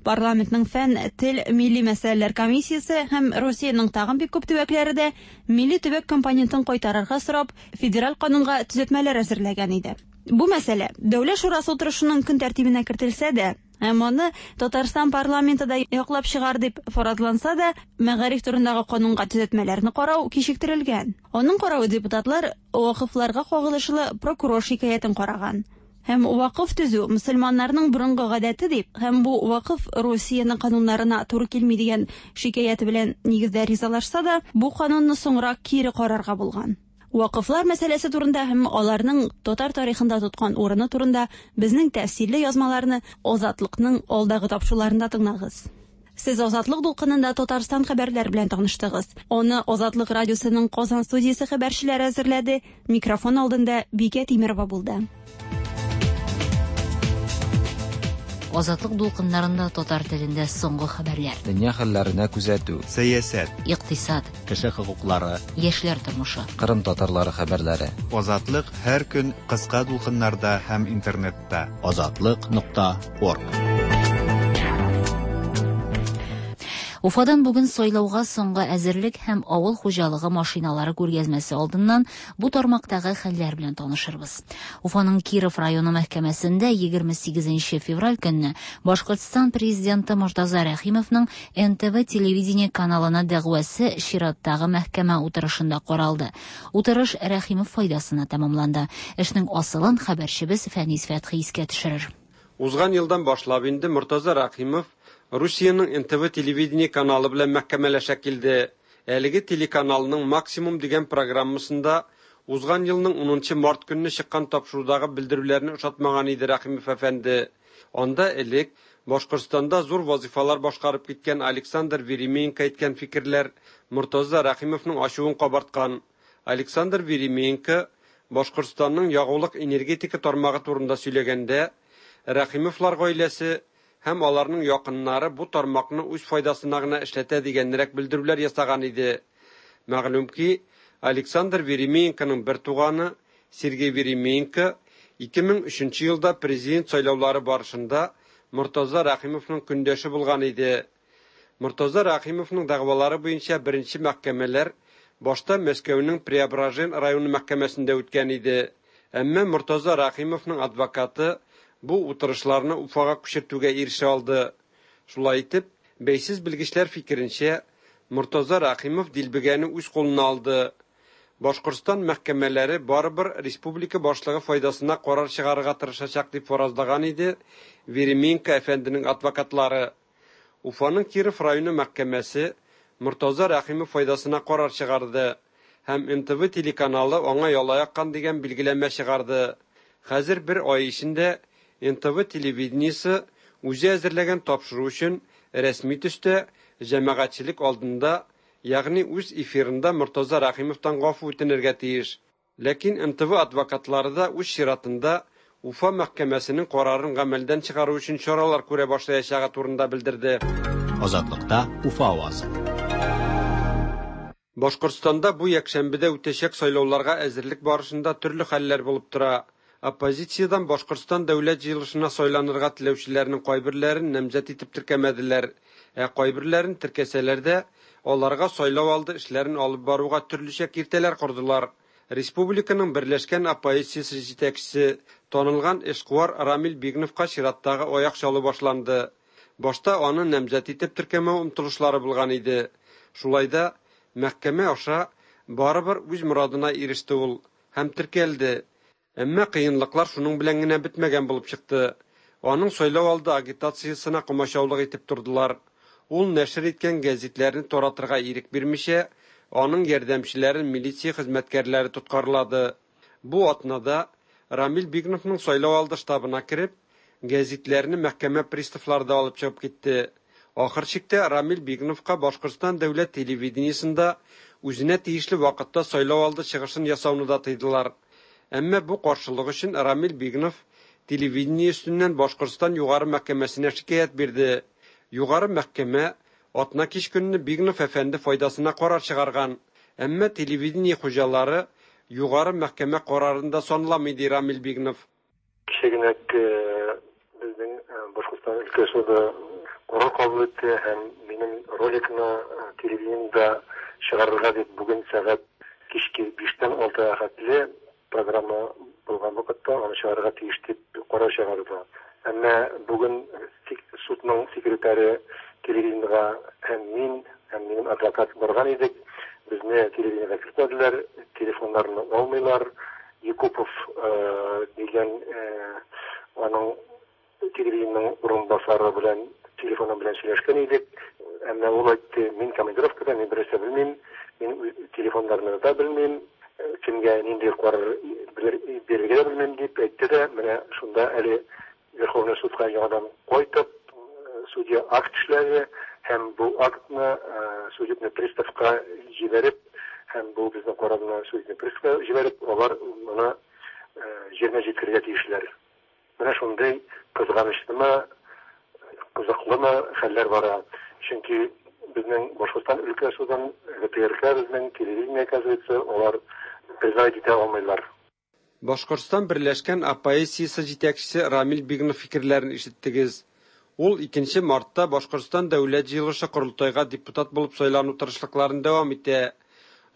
Парламентның фән, тел, милли мәсьәләләр комиссиясе һәм Русиянең тагын бик күп төбәкләре дә милли төбәк компонентын кайтарырга сорап федераль канунга төзәтмәләр әзерләгән иде. Бу мәсьәлә Дәүләт шурасы утырышының көн тәртибенә кертелсә дә, һәм аны Татарстан парламенты да яклап чыгар дип фаразланса да, мәгариф турындагы канунга төзәтмәләрне карау кичектерелгән. Аның каравы депутатлар вакыфларга кагылышлы прокурор шикаятен караган. Һәм вакыф төзү мөселманнарның борынгы гадәте дип, һәм бу вакыф Русиянең кануннарына туры килми дигән шикаяте белән нигездә ризалашса да, бу канунны соңрак кире карарга булган. Вакыфлар мәсьәләсе турында һәм аларның татар тарихында тоткан урыны турында безнең тәфсилле язмаларны Азатлыкның алдагы тапшыруларында тыңлагыз. Сез Азатлык дулкынында Татарстан хәбәрләре белән таныштыгыз. Аны Азатлык радиосының Казан студиясе хәбәрчеләре әзерләде. Микрофон алдында Бикә Тимирова булды. Азатлык дулкыннарында татар телендә соңгы хәбәрләр. Дөнья хәлләренә күзәтү, сәясәт, икътисад, кеше хокуклары, яшьләр тормышы, Кырым татарлары хәбәрләре. Азатлык һәр көн кыска дулкыннарда һәм интернетта. Азатлык нокта орг. Уфадан бүген сайлауга соңгы әзерлек һәм авыл хуҗалыгы машиналары күргәзмәсе алдыннан бу тармактагы хәлләр белән танышырбыз. Уфаның Киров районы мәхкәмәсендә егерме сигезенче февраль көнне Башкортстан президенты Мортаза Рәхимовның эн тэ вэ телевидение каналына дәгъвасы чираттагы мәхкәмә утырышында каралды. Утырыш Рәхимов файдасына тәмамланды. Эшнең асылын хәбәрчебез Фәнис Фәтхи искә төшерер. Узган елдан башлап инде Мортаза Рәхимов Русиянең эн тэ вэ телевидение каналы белән мәхкәмәләшә килде. Әлеге телеканалның Максимум дигән программасында узган елның унынчы март көнне чыккан тапшырудагы белдерүләрне ошатмаган иде Рәхимов әфәнде. Анда элек Башкортстанда зур вазифалар башкарып киткән Александр Веременко әйткән фикерләр Мортаза Рәхимовның ачуын кабарткан. Александр Веременко Башкортстанның ягулык энергетика тармагы турында сөйләгәндә, Рәхимовлар гаиләсе һәм аларның якыннары бу тармакны үз файдасына гына эшләтә дигәнрәк белдерүләр ясаган иде. Мәгълүм ки, Александр Веременконың бер туганы Сергей Веременко ике мең өченче елда президент сайлаулары барышында Мортаза Рәхимовның көндәше булган иде. Мортаза Рәхимовның дәгъвалары буенча беренче мәхкәмәләр башта Мәскәүнең Преображен районы мәхкәмәсендә үткән иде. Әмма Мортаза Рәхимовның адвокаты бу утырышларны Уфага күчертүгә ирешә алды. Шулай итеп, бәйсез белгечләр фикеренчә, Мортаза Рәхимов дилбегәне үз кулына алды. Башкортстан мәхкәмәләре барыбер республика башлыгы файдасына карар чыгарырга тырышачак дип фаразлаган иде Веременко әфәнденең адвокатлары. Уфаның Киров районы мәхкәмәсе Мортаза Рәхимов файдасына карар чыгарды һәм эн тэ вэ телеканалы аңа яла яккан дигән билгеләмә чыгарды. Хәзер бер ай эчендә эн тэ вэ телевидениесе үзе әзерләгән тапшыру өчен рәсми төстә җәмәгатьчелек алдында ягъни үз эфирында Мортаза Рәхимовтан гафу үтенергә тиеш. Ләкин Н Т В адвокатлары да үз чиратында Уфа мәхкәмәсенең карарын гамәлдән чыгару өчен чаралар күрә башлаячагы турында белдерде. Азатлыкта Уфа авазы. Башкортстанда бу якшәмбедә үтәчәк сайлауларга әзерлек барышында төрле хәлләр булып тора. Оппозициядән Башкортстан дәүләт җыелышына сайланырга теләүчеләрнең кайберләрен намзәт итеп теркәмәделәр, ә кайберләрен теркәсәләр дә, аларга сайлау алды эшләрен алып баруга төрлечә киртәләр кордылар. Республиканың берләшкән оппозициясе җитәкчесе, танылган эшкуар Рамил Бигновка чираттагы аяк чалу башланды. Башта аны намзәт итеп теркәмәү омтылышлары булган иде. Шулай да мәхкәмә аша барыбер үз морадына иреште ул һәм теркәлде. Әмма кыенлыклар шуның белән генә бетмәгән булып чыкты. Аның сайлау алды агитациясенә комачаулык итеп тордылар. Ул нәшер иткән гәзитләрне таратырга ирек бирмичә, аның ярдәмчеләрен милиция хезмәткәрләре тоткарлады. Бу атнада Рамил Бигновның сайлау алды штабына кереп, гәзитләрне мәхкәмә приставлары да алып чыгып китте. Ахыр чиктә Рамил Бигновка Башкортстан дәүләт телевидениесендә үзенә тиешле вакытта сайлау алды чыгышын ясауны да тыйдылар. Әмма бу каршылык өчен Рамил Бигнов телевидение өстеннән Башкортстан югары мәхкәмәсенә шикаять бирде. Югары мәхкәмә атна кич көнне Бигнов әфәнде файдасына карар чыгарган. Әмма телевидение хуҗалары югары мәхкәмә карарын да санламый, ди Рамил Бигнов. Кичә генә безнең Башкортстан өлкә суды карар кабул итте һәм минем роликны телевидениедә чыгарырга дип бүген сәгать кичке биштән алтыга хәтле программа булган вакытта аны чыгарырга тиеш дип карар чыгарды. Әмма бүген судның секретаре телевидениега һәм мин, һәм минем адвокат барган идек. Безне телевидениега кертмәделәр, телефоннарны алмыйлар. Якупов дигән аның телевидениенең урынбасары белән телефоны белән сөйләшкән идек. Әмма ул әйтте, мин командировкада, мин берәрсә белмим, мин телефоннарны да белмим, кемгә нинди карар бирергә дә белмим дип әйтте дә, менә шунда әле Верховный судка яңадан кайтып, судья акт эшләде һәм бу актны судебный приставка җибәреп, һәм бу безнең карарны судебный приставка җибәреп, алар моны җиренә җиткерергә тиешләр. Менә шундый кызганычлымы, кызыклымы хәлләр бара. Чөнки безнең Башкортстан өлкә судын, Г Т Р К безнең телевидение, оказывается, алар признать итә алмыйлар. Башкортстан берләшкән оппозициясе җитәкчесе Рамил Бигнов фикерләрен ишеттегез. Ул икенче мартта Башкортстан дәүләт җыелышы корылтайга депутат булып сайлану тырышлыкларын дәвам итә.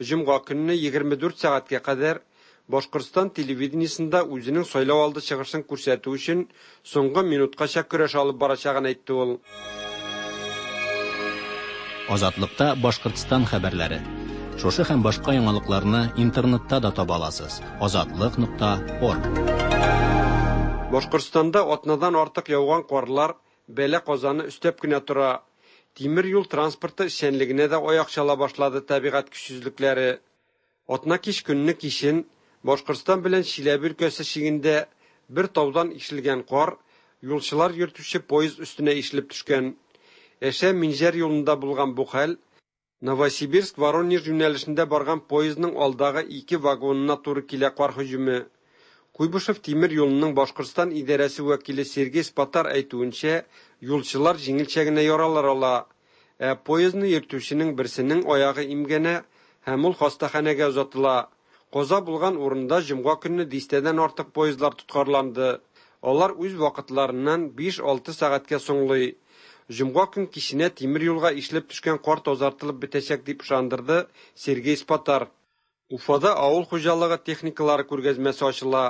Җомга көнне егерме дүрт сәгатькә кадәр Башкортстан телевидениесендә үзенең сайлау алды чыгышын күрсәтү өчен соңгы минуткача көрәш алып барачагын әйтте ул. Азатлыкта Башкортстан хәбәрләре. Шушы һәм башка яңалыкларны интернетта да таба аласыз. Азатлык нокта орг. Башкортстанда атнадан артык яуган карлар бәла казаны өстәп кенә тора. Тимер юл транспорты эшчәнлегенә дә аяк чала башлады табигать көчсезлекләре. Атна кич көнне кичен Башкортстан белән Чиләбе өлкәсе чигендә бер таудан ишелгән кар юлчылар йөртүче поезд өстенә ишелеп төшкән. Әшә Минҗәр юлында булган бу хәл Новосибирск Воронеж юнәлешендә барган поездның алдагы ике вагонына туры килә кар һөҗүме. Куйбышев тимер юлының Башкортстан идарәсе вәкиле Сергей Спатар әйтүенчә, юлчылар җиңелчә генә яралар ала. Ә поездны йөртүченең берсенең аягы имгәнә һәм ул хастаханәгә озатыла. Каза булган урында җомга көнне дистәдән артык поездлар тоткарланды. Алар үз вакытларыннан биш-алты сәгатькә соңлый. Җомга көн киченә тимер юлга ишелеп төшкән кар тазартылып бетәчәк дип ышандырды Сергей Спатар. Уфада авыл хуҗалыгы техникалары күргәзмәсе ачыла.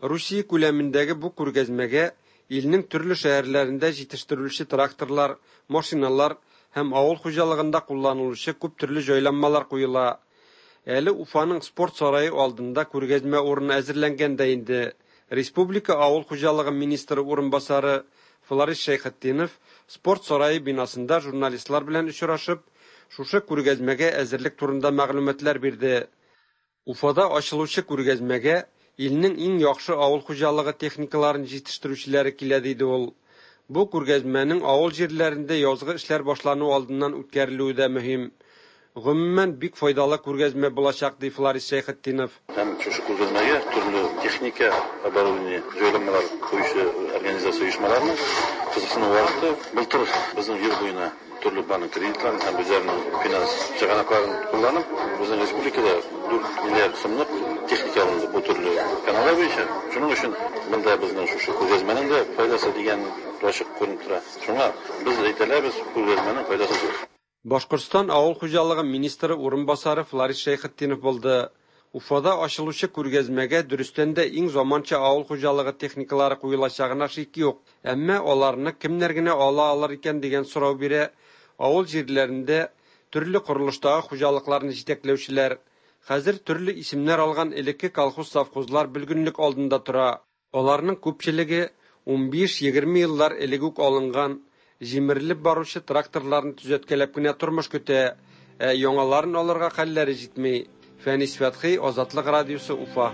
Русия күләмендәге бу күргәзмәгә илнең төрле шәһәрләрендә җитештерелүче тракторлар, машиналар һәм авыл хуҗалыгында кулланылучы күп төрле җайланмалар куела. Әле Уфаның спорт сарае алдында күргәзмә урыны әзерләнгән дә инде. Республика авыл хуҗалыгы министры урынбасары Фларис Шәйхетдинов спорт сарае бинасында журналистлар белән очрашып, шушы күргәзмәгә әзерлек турында мәгълүматлар бирде. Уфада ачылучы күргәзмәгә илнең иң яхшы авыл хуҗалыгы техникаларын җитештерүчеләре килә, диде ул. Бу күргәзмәнең авыл җирләрендә язгы эшләр башлану алдыннан үткәрелүе дә мөһим. Гомумән, бик файдалы күргәзмә булачак, ди Фларис Шәйхетдинов. Һәм шушы күргәзмәгә төрле техника, оборудование, җайланмалар куючы организация оешмаларының кызыксынуы артты. Былтыр безнең ел буена төрле банк кредитларын һәм үзләренең финанс чыганакларын кулланып, безнең республикада дүрт миллиард сумлык техника алынды бу төрле каналлар буенча. Шуның өчен монда безнең шушы күргәзмәнең дә файдасы дигән ачык күренеп тора. Шуңа без әйтәләбез, күргәзмәнең файдасы зур. Башкортстан авыл хуҗалыгы министры урынбасары Фларис Шәйхетдинов булды. Уфада ачылучы күргәзмәгә дөрестән дә иң заманча авыл хуҗалыгы техникалары куелачагына шик юк. Әмма аларны кемнәр генә ала алыр икән дигән сорау бирә авыл җирләрендә төрле корылыштагы хуҗалыкларны җитәкләүчеләр. Хәзер төрле исемнәр алган элекке колхоз-совхозлар бөлгенлек алдында тора. Аларның күпчелеге унбиш-егерме еллар элек үк алынган, җимерелеп баручы тракторларны төзәткәләп кенә тормыш көтә, ә яңаларын алырга хәлләре җитми. Фәнис Фәтхи, Азатлык радиосы, Уфа.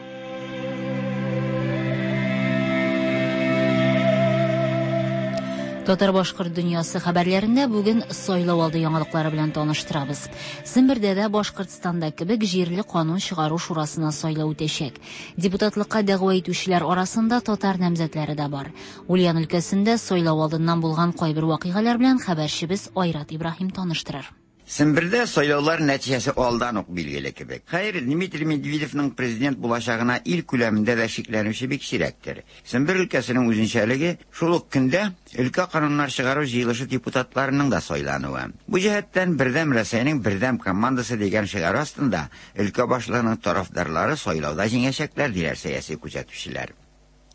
Татар-башкорт дөньясы хәбәрләрендә бүген сайлау алды яңалыклары белән таныштырабыз. Сембердә дә Башкортстанда кебек җирле канун чыгару шурасына сайлау үтәчәк. Депутатлыкка дәгъва итүчеләр арасында татар намзәтләре дә бар. Ульян өлкәсендә сайлау алдыннан булган кайбер вакыйгалар белән хәбәрчебез Айрат Ибраһим таныштырыр. Сембердә сайлаулар нәтиҗәсе алдан ук билгеле кебек. Хәер, Дмитрий Медведевның президент булачагына ил күләмендә дә шикләнүче бик сирәктер. Сембер өлкәсенең үзенчәлеге шул ук көндә өлкә кануннар чыгару җыелышы депутатларының да сайлануы. Бу җәһәттән Бердәм Рәсәйнең бердәм командасы дигән шигарь астында өлкә башлыгының тарафдарлары сайлауда җиңәчәкләр, диләр сәяси күзәтүчеләр.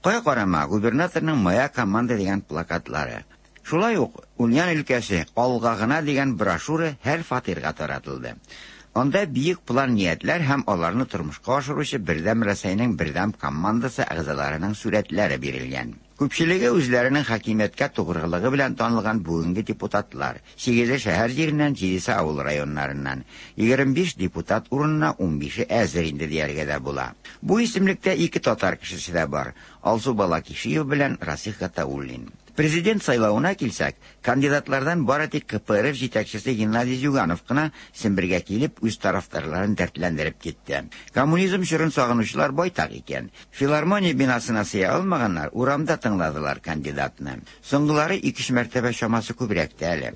Кая карама, губернаторның «Моя команда» дигән плакатлары. Шулай ук Ульян өлкәсе алга гына дигән брошюра һәр фатирга таратылды. Анда бөек план ниятләр һәм аларны тормышка ашыручы Бердәм Рәсәйнең бердәм командасы әгъзаларының сурәтләре бирелгән. Күпчелеге үзләренең хакимияткә тугрылыгы белән танылган бүгенге депутатлар. Сигезе шәһәр җиреннән, җидесе авыл районнарыннан. Егерме биш депутат урынына унбише әзер инде дияргә дә була. Бу исемлектә ике татар кешесе дә бар. Алсу Балакишиева белән Расих Гатауллин. Президент сайлавына килсәк, кандидатлардан бары тик К П Р Ф җитәкчесе Геннадий Зюганов кына Сембергә килеп, үз тарафдарларын дәртләндереп китте. Коммунизм чорын сагынучылар байтак икән. Филармония бинасына сыя алмаганнар урамда тыңладылар кандидатны. Соңгылары ике мәртәбә чамасы күбрәк тә әле.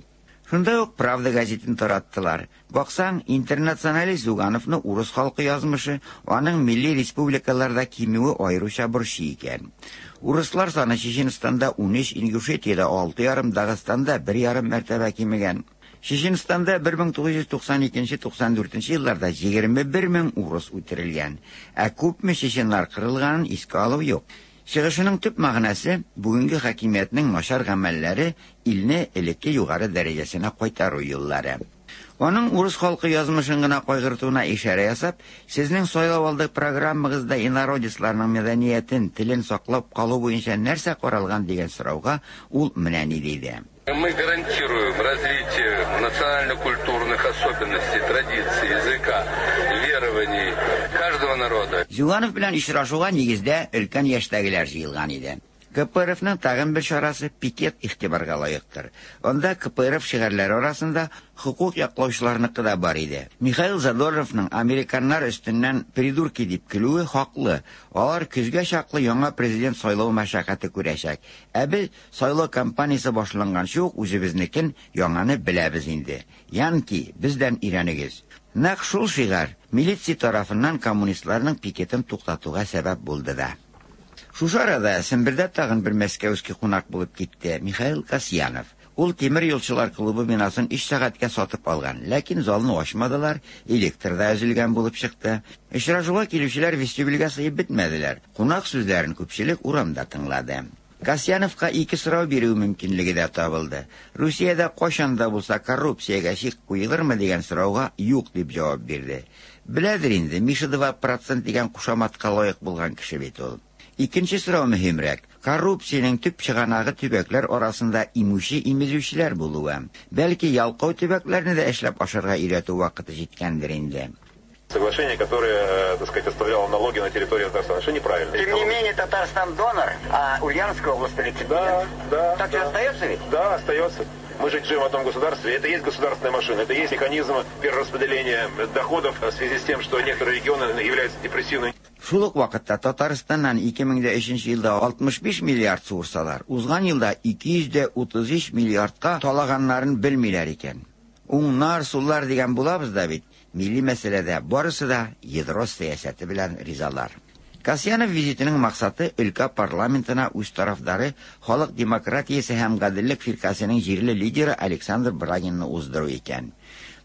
Шунда ук «Правда» газетын тараттылар. Баксаң, интернационалист Зюгановны урыс халкы язмышы, аның милли республикаларда кимүе аеруча борчый икән. Урыслар саны Чеченстанда унөч, Ингушетиядә алты ярым, Дагыстанда бер ярым мәртәбә кимегән. Чеченстанда бер мең тугыз йөз туксан икенче туксан дүртенче елларда егерме бер мең урыс үтерелгән. Ә күпме чеченнар кырылганын искә алу юк. Чыгышының төп мәгънәсе бүгенге хакимиятнең начар гамәлләре илне элекке югары дәрәҗәсенә кайтару юллары. Аның урыс халкы язмышын гына кайгыртуына ишарә ясап, сезнең сайлау алды программагызда инородецларның мәдәниятен, телен саклап калу буенча нәрсә каралган дигән сорауга ул менә ни диде. Мы гарантируем развитие национально-культурных особенностей, традиций, языка, верований каждого народа. Зюганов белән очрашуга нигездә өлкән яшьтәгеләр җыелган иде. К П Р Фның тагын бер чарасы пикет игътибарга лаектыр. Анда К П Р Ф шигарьләре арасында хокук яклаучыларныкы да бар иде. Михаил Задоровның американнар өстеннән придурки дип көлүе хаклы. Алар көзгә чаклы яңа президент сайлау мәшәкате күрәчәк. Ә без сайлау кампаниясе башланганчы ук үзебезнекен яңаны беләбез инде. Янки, бездән өйрәнегез. Нәкъ шул шигарь милиция тарафыннан коммунистларның пикетын туктатуга сәбәп булды да. Шушы арада Сембердә тагын бер мәскәүский кунак булып китте Михаил Касьянов. Ул тимер юлчылар клубы бинасын өч сәгатькә сатып алган, ләкин залны ачмадылар, электр да өзелгән булып чыкты. Очрашуга килүчеләр вестибюльгә сыеп бетмәделәр. Кунак сүзләрен күпчелек урамда тыңлады. Касьяновка ике сорау бирү мөмкинлеге дә табылды. Русиядә кайчан да булса коррупциягә чик куелырмы дигән сорауга юк дип җавап бирде. Беләдер инде, Миша два процент дигән кушаматка лаек булган кеше бит ул. Икенче сорау мөһимрәк. Коррупциянең төп чыганагы төбәкләр арасында имүче имезүчеләр булуы. Бәлки ялкау төбәкләрне дә эшләп ашарга өйрәтү вакыты җиткәндер инде. Соглашение, которое, так сказать, оставляло налоги на территории Татарстана, что неправильно. Тем не менее, Татарстан донор, а Ульяновская область реципиент. Да, да. Так да. Же остается ведь? Да, остается. Мы же живем в одном государстве. Это и есть государственная машина, это и есть механизм перераспределения доходов в связи с тем, что некоторые регионы являются депрессивными. Шул ук вакытта Татарстаннан ике мең дә өченче елда алтмыш биш миллиард суырсалар, узган елда ике йөз дә утыз өч миллиардка талаганнарын белмиләр икән. Уңнар, суллар дигән булабыз да бит, милли мәсьәләдә барысы да ядро сәясәте белән ризалар. Касьянов визитының максаты өлкә парламентына үз тарафдары Халык демократиясе һәм гаделлек фиркасының җирле лидеры Александр Брагинны уздыру икән.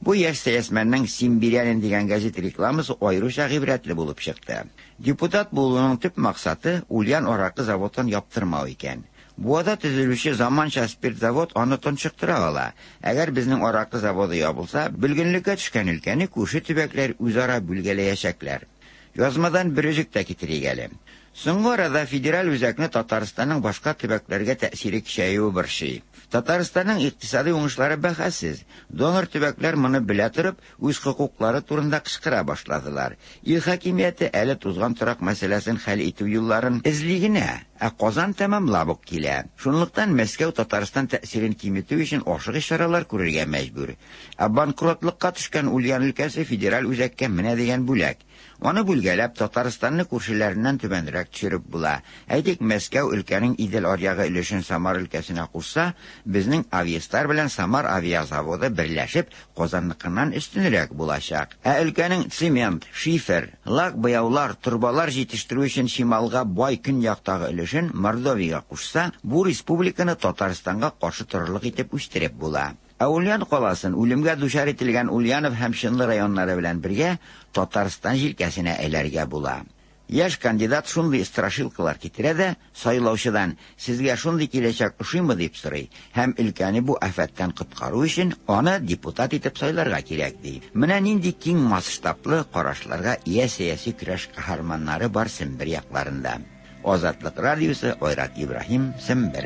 Бу яшь сәясмәннең Симбирянин дигән газет рекламасы аеруча гыйбрәтле булып чыкты. Депутат булуның төп максаты Ульян аракы заводын яптырмау икән. Буада төзелүче заманча спирт завод аны тончыктыра ала. Әгәр безнең аракы заводы ябылса, бөлгенлеккә төшкән өлкәне күрше төбәкләр үзара бүлгәләячәкләр. Язмадан бер өзек тә китерик әле. Соңгы арада федераль үзәкне Татарстанның башка төбәкләргә тәэсире көчәюе борчый. Татарстанның икътисади уңышлары бәхәссез. Донор төбәкләр моны белә торып, үз хокуклары турында кычкыра башладылар. Ил хакимияте әле тузган торак мәсьәләсен хәл итү юлларын эзли генә, ә Казан тәмамлап ук килә. Шунлыктан Мәскәү Татарстан тәэсирен киметү өчен ашыгыч чаралар күрергә мәҗбүр. Ә банкротлыкка төшкән Ульян өлкәсе федераль үзәккә менә дигән бүләк. Аны бүлгәләп Татарстанны күршеләреннән түбәнрәк төшереп була. Әйтик, Мәскәү өлкәнең Идел аръягы өлешен Самар өлкәсенә кушса, безнең Авиастар белән Самар авиазаводы берләшеп Казанныкыннан өстенрәк булачак. Ә өлкәнең цемент, шифер, лак буяулар, торбалар җитештерү өчен чималга бай көньяктагы өлешен Мордовиягә кушса, бу республиканы Татарстанга каршы торырлык итеп үстереп була. Ә Ульян каласын үлемгә дучар ителгән Ульянов һәм Чынлы районнары белән бергә Татарстан җилкәсенә әйләргә була. Яшь кандидат шундый страшилкалар китерә дә, сайлаучыдан сезгә шундый киләчәк ошыймы дип сорый һәм өлкәне бу афәттән коткару өчен аны депутат итеп сайларга кирәк ди. Менә нинди киң масштаблы карашларга ия сәяси көрәш каһарманнары бар Сембер якларында. Азатлык радиосы, Айрат Ибраһим, Сембер.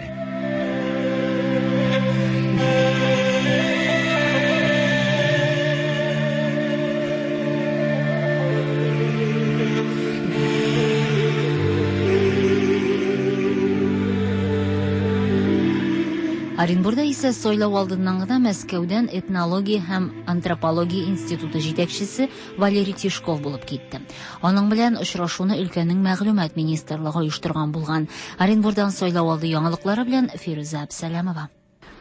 Оренбурда исә сайлау алдыннан гына Мәскәүдән этнология һәм антропология институты җитәкчесе Валерий Тишков булып китте. Аның белән очрашуны өлкәнең мәгълүмат министрлыгы оештырган булган. Оренбурдан сайлау алды яңалыклары белән Фирүзә Әбсәләмова.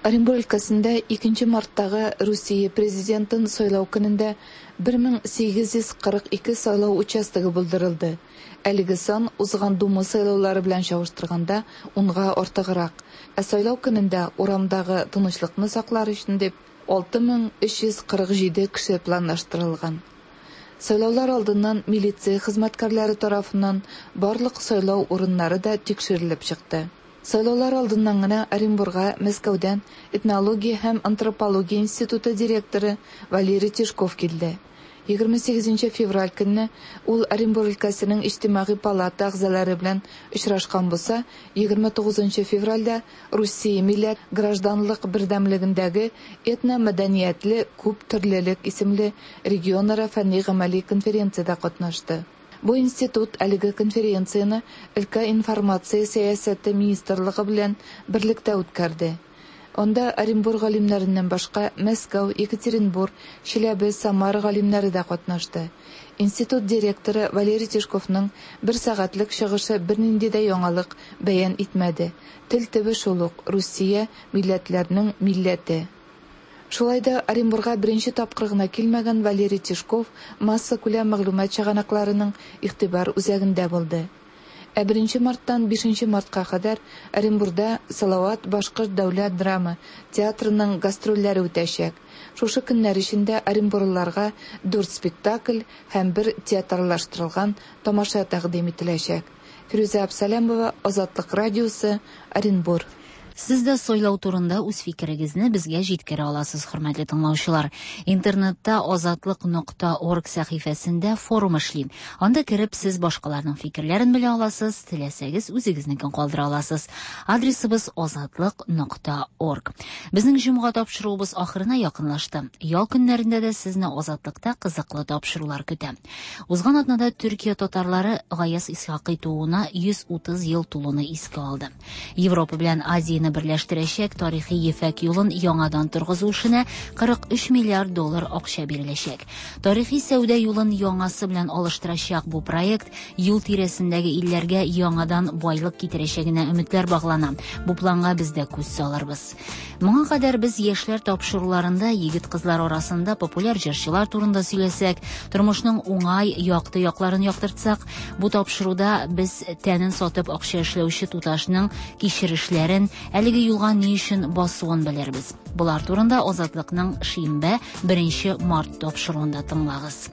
Оренбур өлкәсендә икенче марттагы Русия президентын сайлау көнендә бер мең сигез йөз кырык ике сайлау участогы булдырылды. Әлеге сан узган Дума сайлаулары белән чагыштырганда унга артыграк. Ә сайлау көнендә урамдагы тынычлыкны саклар өчен дип алты мең өч йөз кырык җиде кеше планлаштырылган. Сайлаулар алдыннан милиция хезмәткәрләре тарафыннан барлык сайлау урыннары да тикшерелеп чыкты. Сайлаулар алдыннан гына Оренбурга Мәскәүдән этнология һәм антропология институты директоры Валерий Тишков килде. егерме сигезенче февраль көнне ул Оренбур өлкәсенең иҗтимагый палата әгъзалары белән очрашкан булса, егерме тугызынчы февральдә Русия милләт гражданлык бердәмлегендәге этномәдәниятле күп төрлелек исемле регионара фәнни-гамәли конференциядә катнашты. Бу институт әлеге конференцияне өлкә информация сәясәте министрлыгы белән берлектә үткәрде. Анда Оренбур галимнәреннән башка Мәскәү, Екатеринбур, Чиләбе, Самара галимнәре дә катнашты. Институт директоры Валерий Тишковның бер сәгатьлек чыгышы бернинди дә яңалык бәян итмәде. Тел төбе шул ук Русия милләтләренең милләте. Шулай да Оренбурга беренче тапкыр гына килмәгән Валерий Тишков массакүләм мәгълүмат чыганакларының игътибар үзәгендә булды. Ә беренче марттан бишенче мартка кадәр Оренбурда Салават башкорт дәүләт драма театрының гастрольләре үтәчәк. Шушы көннәр эчендә оренбурлыларга дүрт спектакль һәм бер театрлаштырылган тамаша тәкъдим ителәчәк. Фирүзә Әбсәләмова, Азатлык радиосы, Оренбур. Сез дә сайлау турында үз фикерегезне безгә җиткерә аласыз, хөрмәтле тыңлаучылар. Интернетта азатлык нокта орг сәхифәсендә форум эшли. Анда кереп сез башкаларның фикерләрен белә аласыз, теләсәгез үзегезнекен калдыра аласыз. Адресыбыз азатлык нокта орг. Безнең җомга тапшыруыбыз ахырына якынлашты. Ял көннәрендә дә сезне Азатлыкта кызыклы тапшырулар көтә. Узган атнада Төркия татарлары Гаяз Исхакый тууына йөз утыз ел тулуны искә алды. Европа белән Азия Азияне берләштерәчәк тарихи ефәк юлын яңадан торгызу эшенә кырык өч миллиард доллар акча биреләчәк. Тарихи сәүдә юлын яңасы белән алыштырачак бу проект юл тирәсендәге илләргә яңадан байлык китерәчәгенә өметләр баглана. Бу планга без дә күз салырбыз. Моңа кадәр без яшьләр тапшыруларында егет-кызлар арасында популяр җырчылар турында сөйләсәк, тормышның уңай, якты якларын яктыртсак, бу тапшыруда без тәнен сатып акча эшләүче туташның кичерешләрен, әлеге юлга ни өчен басуын белербез. Болар турында Азатлыкның шимбә беренче март тапшыруында тыңлагыз.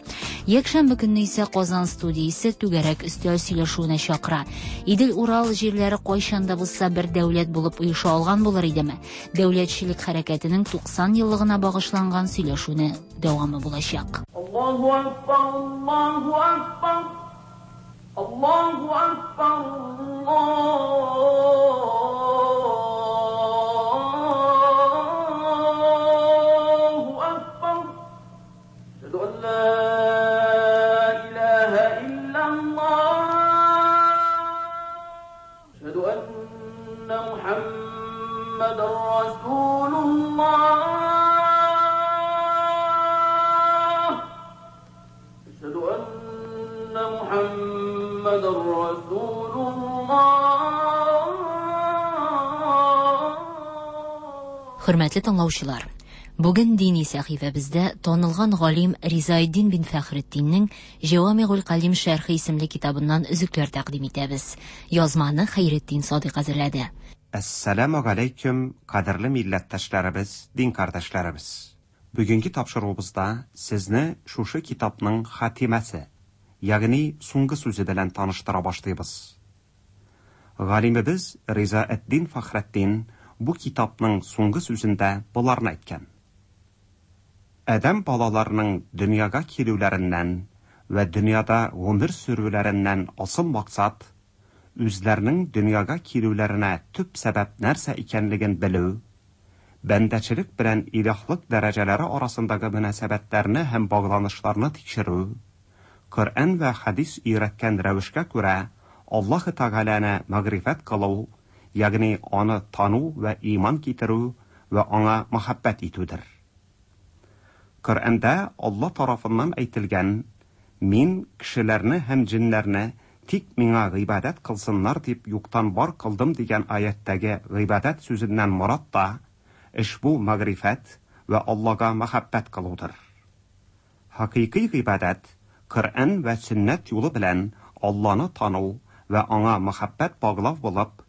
Якшәмбе көнне исә Казан студиясе түгәрәк өстәл сөйләшүенә чакыра. Идел-Урал җирләре кайчан да булса бер дәүләт булып оеша алган булыр идеме? Дәүләтчелек хәрәкәтенең туксан еллыгына багышланган сөйләшүне дәвамы булачак. Аллаһу акбар, Аллаһу акбар, Аллаһу акбар, Аллаһу акбар. Әшһәду ан ла илаһа иллаллаһ. Әшһәду анна Мухаммадан расулуллаһ. Әшһәду анна Мухаммадан расулуллаһ. Хөрмәтле тыңлаучылар, бүген дини сәхифәбездә танылган галим Ризаэддин бин Фәхретдиннең Җавамигул Калим шәрхе исемле китабыннан өзекләр тәкъдим итәбез. Язманы Хәйретдин Садыйк әзерләде. Әссәламу алейкум, кадерле милләттәшләребез, дин кардәшләребез. Бүгенге тапшыруыбызда сезне шушы китапның хатимәсе, ягъни соңгы сүзе белән таныштыра башлыйбыз. Галимебез Ризаэддин Фәхретдин бу китапның соңгы сүзендә боларны әйткән. Адәм балаларының дөньяга килүләреннән вә дөньяда гомер сүрүләреннән асыл максат үзләренең дөньяга килүләренә төп сәбәп нәрсә икәнлеген белү, бәндәчелек белән илаһлык дәрәҗәләре арасындагы мөнәсәбәтләрне һәм багланышларны тикшерү, Коръән вә хәдис өйрәткән рәвешкә күрә Аллаһ Тәгаләне мәгърифәт кылу, ягъни аны тану вә иман китерү вә аңа мәхәббәт итүдер. Коръәндә Аллаһ тарафыннан әйтелгән: "Мин кешеләрне һәм җиннәрне тик миңа гыйбадәт кылсыннар дип юктан бар кылдым" дигән аяттәге гыйбадәт сүзеннән морад та ошбу мәгърифәт вә Аллаһка мәхәббәт кылудыр. Хакыйкый гыйбадәт Коръән вә сөннәт юлы белән Аллаһны тану вә аңа мәхәббәт баглау булып,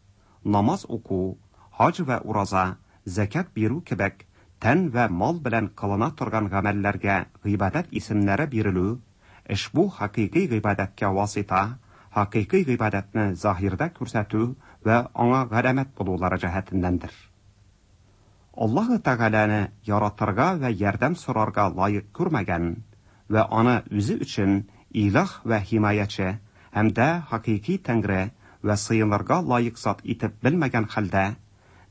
намаз уку, хаҗ вә ураза, зәкят бирү кебек тән вә мал белән кылына торган гамәлләргә гыйбадәт исемнәре бирелү, ошбу хакыйкый гыйбадәткә васита, хакыйкый гыйбадәтне заһирдә күрсәтү вә аңа галәмәт булулары җәһәтеннәндер. Аллаһ Тәгаләне яратырга вә ярдәм сорарга лаек күрмәгән вә аны үзе өчен илаһ вә химаячы һәм дә хакыйкый тәңре вә сыенырга лаек зат итеп белмәгән хәлдә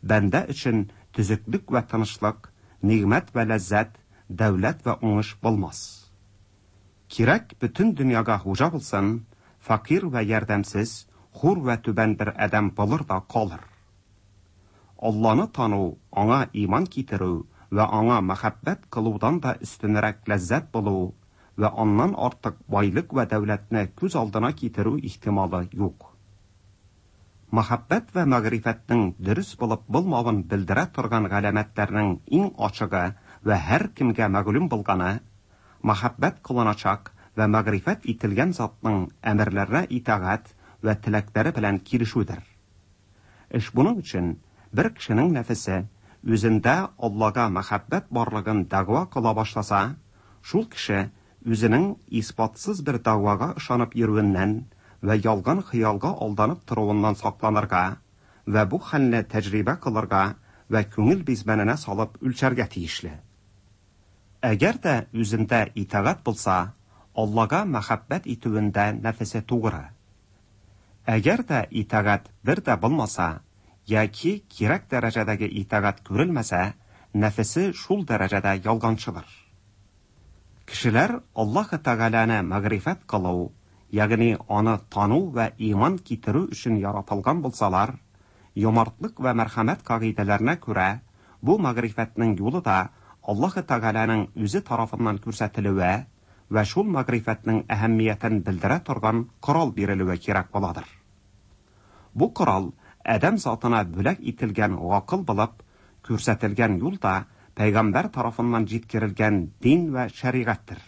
бәндә өчен төзеклек вә тынычлык, нигъмәт вә ләззәт, дәүләт вә уңыш булмас. Кирәк бөтен дөньяга хуҗа булсын, факир вә ярдәмсез, хур вә түбән бер адәм булыр да калыр. Аллаһны тану, аңа иман китерү вә аңа мәхәббәт кылудан да өстенрәк ләззәт булу вә аннан артык байлык вә дәүләтне күз алдына китерү ихтималы юк. Мәхәббәт вә мәгърифәтнең дөрес булып булмавын белдерә торган галәмәтләрнең иң ачыгы вә һәр кемгә мәгълүм булганы мәхәббәт кылыначак вә мәгърифәт ителгән затның әмерләренә итагать вә теләкләре белән килешүдер. Эш буның өчен бер кешенең нәфесе үзендә Аллаһка мәхәббәт барлыгын дәгъва кыла башласа, шул кеше үзенең исбатсыз бер дәгъвага ышанып йөрүеннән вә ялган хыялга алданып торуыннан сакланырга вә бу хәлне тәҗрибә кылырга вә күңел бизмәненә салып үлчәргә тиешле. Әгәр дә үзендә итагать булса, Аллаһка мәхәббәт итүендә нәфесе тугры. Әгәр дә итагать бер дә булмаса, яки кирәк дәрәҗәдәге итагать күрелмәсә, нәфесе шул дәрәҗәдә ялганчыдыр. Кешеләр Аллаһ Тәгаләне мәгърифәт кылу, ягъни аны тану вә иман китерү өчен яратылган булсалар, Юмартлык вә мәрхәмәт кагыйдәләренә күрә, бу мәгърифәтнең юлы да Аллаһы Тәгаләнең үзе тарафыннан күрсәтелүе вә шул мәгърифәтнең әһәмиятен белдерә торган корал бирелүе кирәк буладыр. Бу корал адәм затына бүләк ителгән гакыл булып, күрсәтелгән юл да пәйгамбәр тарафыннан җиткерелгән дин вә шәригатьтер.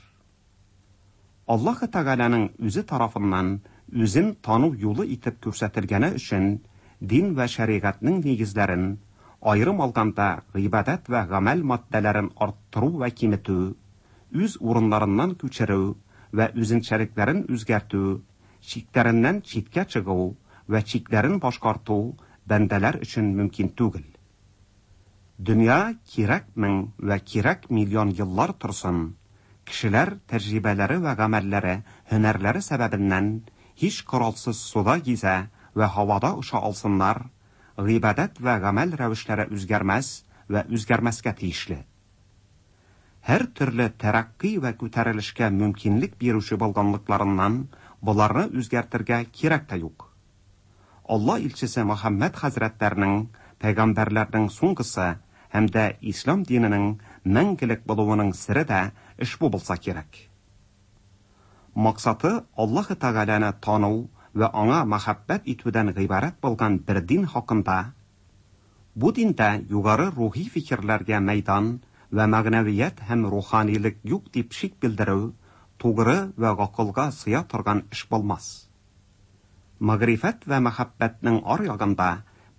Аллаһы Тәгаләнең үзе тарафыннан үзен тану юлы итеп күрсәтелгәне өчен дин вә шәригатьнең нигезләрен, аерым алганда гыйбадәт вә гамәл маддәләрен арттыру вә киметү, үз урыннарыннан күчерү вә үзенчәлекләрен үзгәртү, чикләреннән читкә чыгу вә чикләрен башкарту бәндәләр өчен мөмкин түгел. Дөнья кирәк мең вә кирәк миллион еллар торсын, кешеләр тәҗрибәләре вә гамәлләре, һөнәрләре сәбәбеннән һич коралсыз суда гизә вә һавада оча алсыннар, гыйбадәт вә гамәл рәвешләре үзгәрмәс вә үзгәрмәскә тиешле. Һәр төрле тәрәккый вә күтәрелешкә мөмкинлек бирүче булганлыкларыннан боларны үзгәртергә кирәк тә юк. Алла илчесе Мөхәммәд хәзрәтләренең пәйгамбәрләрнең соңгысы һәм дә ислам диненең мәңгелек булуының сере дә ошбу булса кирәк. Максаты Аллаһы Тәгаләне тану вә аңа мәхәббәт итүдән гыйбарәт булган бер дин хакында, бу диндә югары рухи фикерләргә мәйдан вә мәгънәвият һәм руханилык юк дип шик белдерү тугры вә гакылга сыя торган эш булмас. Мәгърифәт вә мәхәббәтнең ар ягында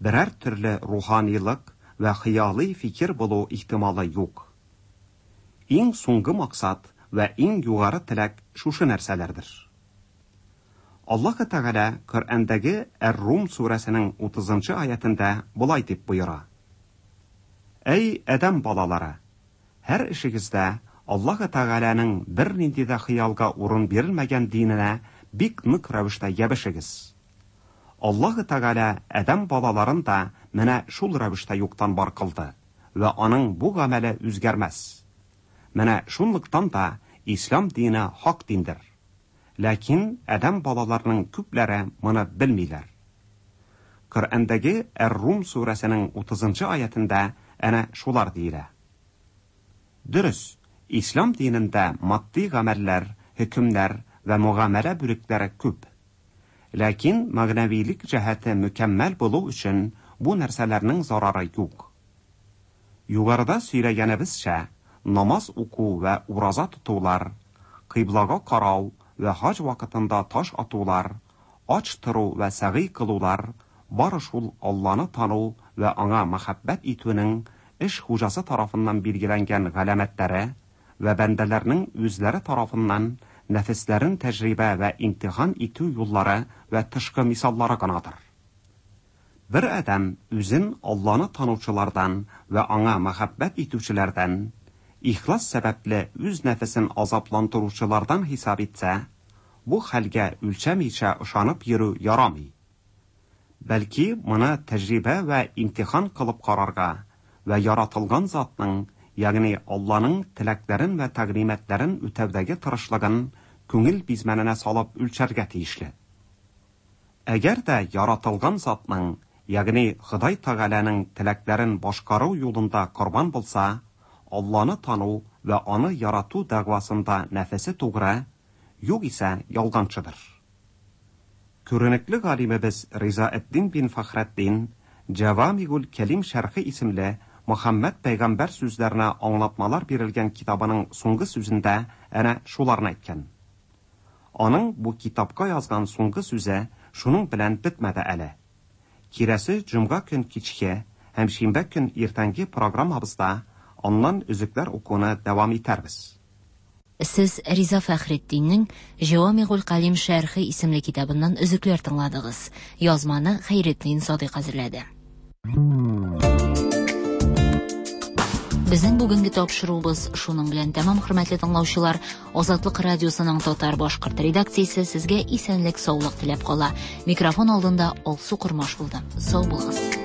берәр төрле руханилык вә хыялый фикер булу ихтималы юк. Иң соңгы максат вә иң югары теләк шушы нәрсәләрдер. Аллаһы Тәгалә Коръәндәге Әр-Рум сүрәсенең утызынчы аятында болай дип боера: Әй адәм балалары, һәр эшегездә Аллаһы Тәгаләнең бернинди дә хыялга урын бирелмәгән диненә бик нык рәвештә ябышыгыз. Аллаһы Тәгалә адәм балаларын да менә шул рәвештә юктан бар кылды вә аның бу гамәле үзгәрмәс. Менә шунлыктан да ислам дине хак диндер. Ләкин адәм балаларының күпләре моны белмиләр. Коръәндәге Әр-Рум сүрәсенең утызынчы аятында әнә шулар диелә. Дөрес, ислам динендә матди гамәлләр, хөкемнәр вә мөгамәлә бүлекләре күп. Ләкин мәгънәвилек җәһәте мөкәммәл булу өчен бу нәрсәләрнең зарары юк. Югарыда сөйләгәнебезчә, намаз уку вә ураза тотулар, кыйблага карау вә хаҗ вакытында таш атулар, ач тору вә сәгый кылулар бары шул Алланы тану вә аңа мәхәббәт итүнең эш хуҗасы тарафыннан билгеләнгән галәмәтләре вә бәндәләрнең үзләре тарафыннан нәфесләрен тәҗрибә вә имтихан итү юллары вә тышкы мисаллары гынадыр. Бер адәм үзен Алланы танучылардан вә аңа мәхәббәт итүчеләрдән, ихлас сәбәпле үз нәфесен азапландыручылардан хисап итсә, бу хәлгә үлчәмичә ышанып йөрү ярамый. Бәлки моны тәҗрибә вә имтихан кылып карарга вә яратылган затның, ягъни Алланың теләкләрен вә тәгълиматларын үтәүдәге тырышлыгын күңел бизмәненә салып үлчәргә тиешле. Әгәр дә яратылган затның, ягъни Ходай Тәгаләнең теләкләрен башкару юлында корбан булса, Алланы тану вә аны ярату дәгъвасында нәфесе тугры, юк исә ялганчыдыр. Күренекле галимебез Ризаэддин бин Фәхретдин Җавамигул Кәлим шәрхе исемле Мөхәммәд пәйгамбәр сүзләренә аңлатмалар бирелгән китабының соңгы сүзендә әнә шуларны әйткән. Аның бу китапка язган соңгы сүзе шуның белән бетмәде әле. Кирәсе җомга көн кичке һәм шимбә көн иртәнге программабызда аннан өзекләр укуны дәвам итәрбез. Сез Риза Фәхретдиннең Җавамигул Калим шәрхе исемле китабыннан өзекләр тыңладыгыз. Язманы Хәйретдин Садыйк әзерләде. Безнең бүгенге тапшыруыбыз шуның белән тәмам, хөрмәтле тыңлаучылар. Азатлык радиосының татар башкорт редакциясе сезгә исәнлек, саулык теләп кала. Микрофон алдында Алсу Кормаш булды. Сау булыгыз.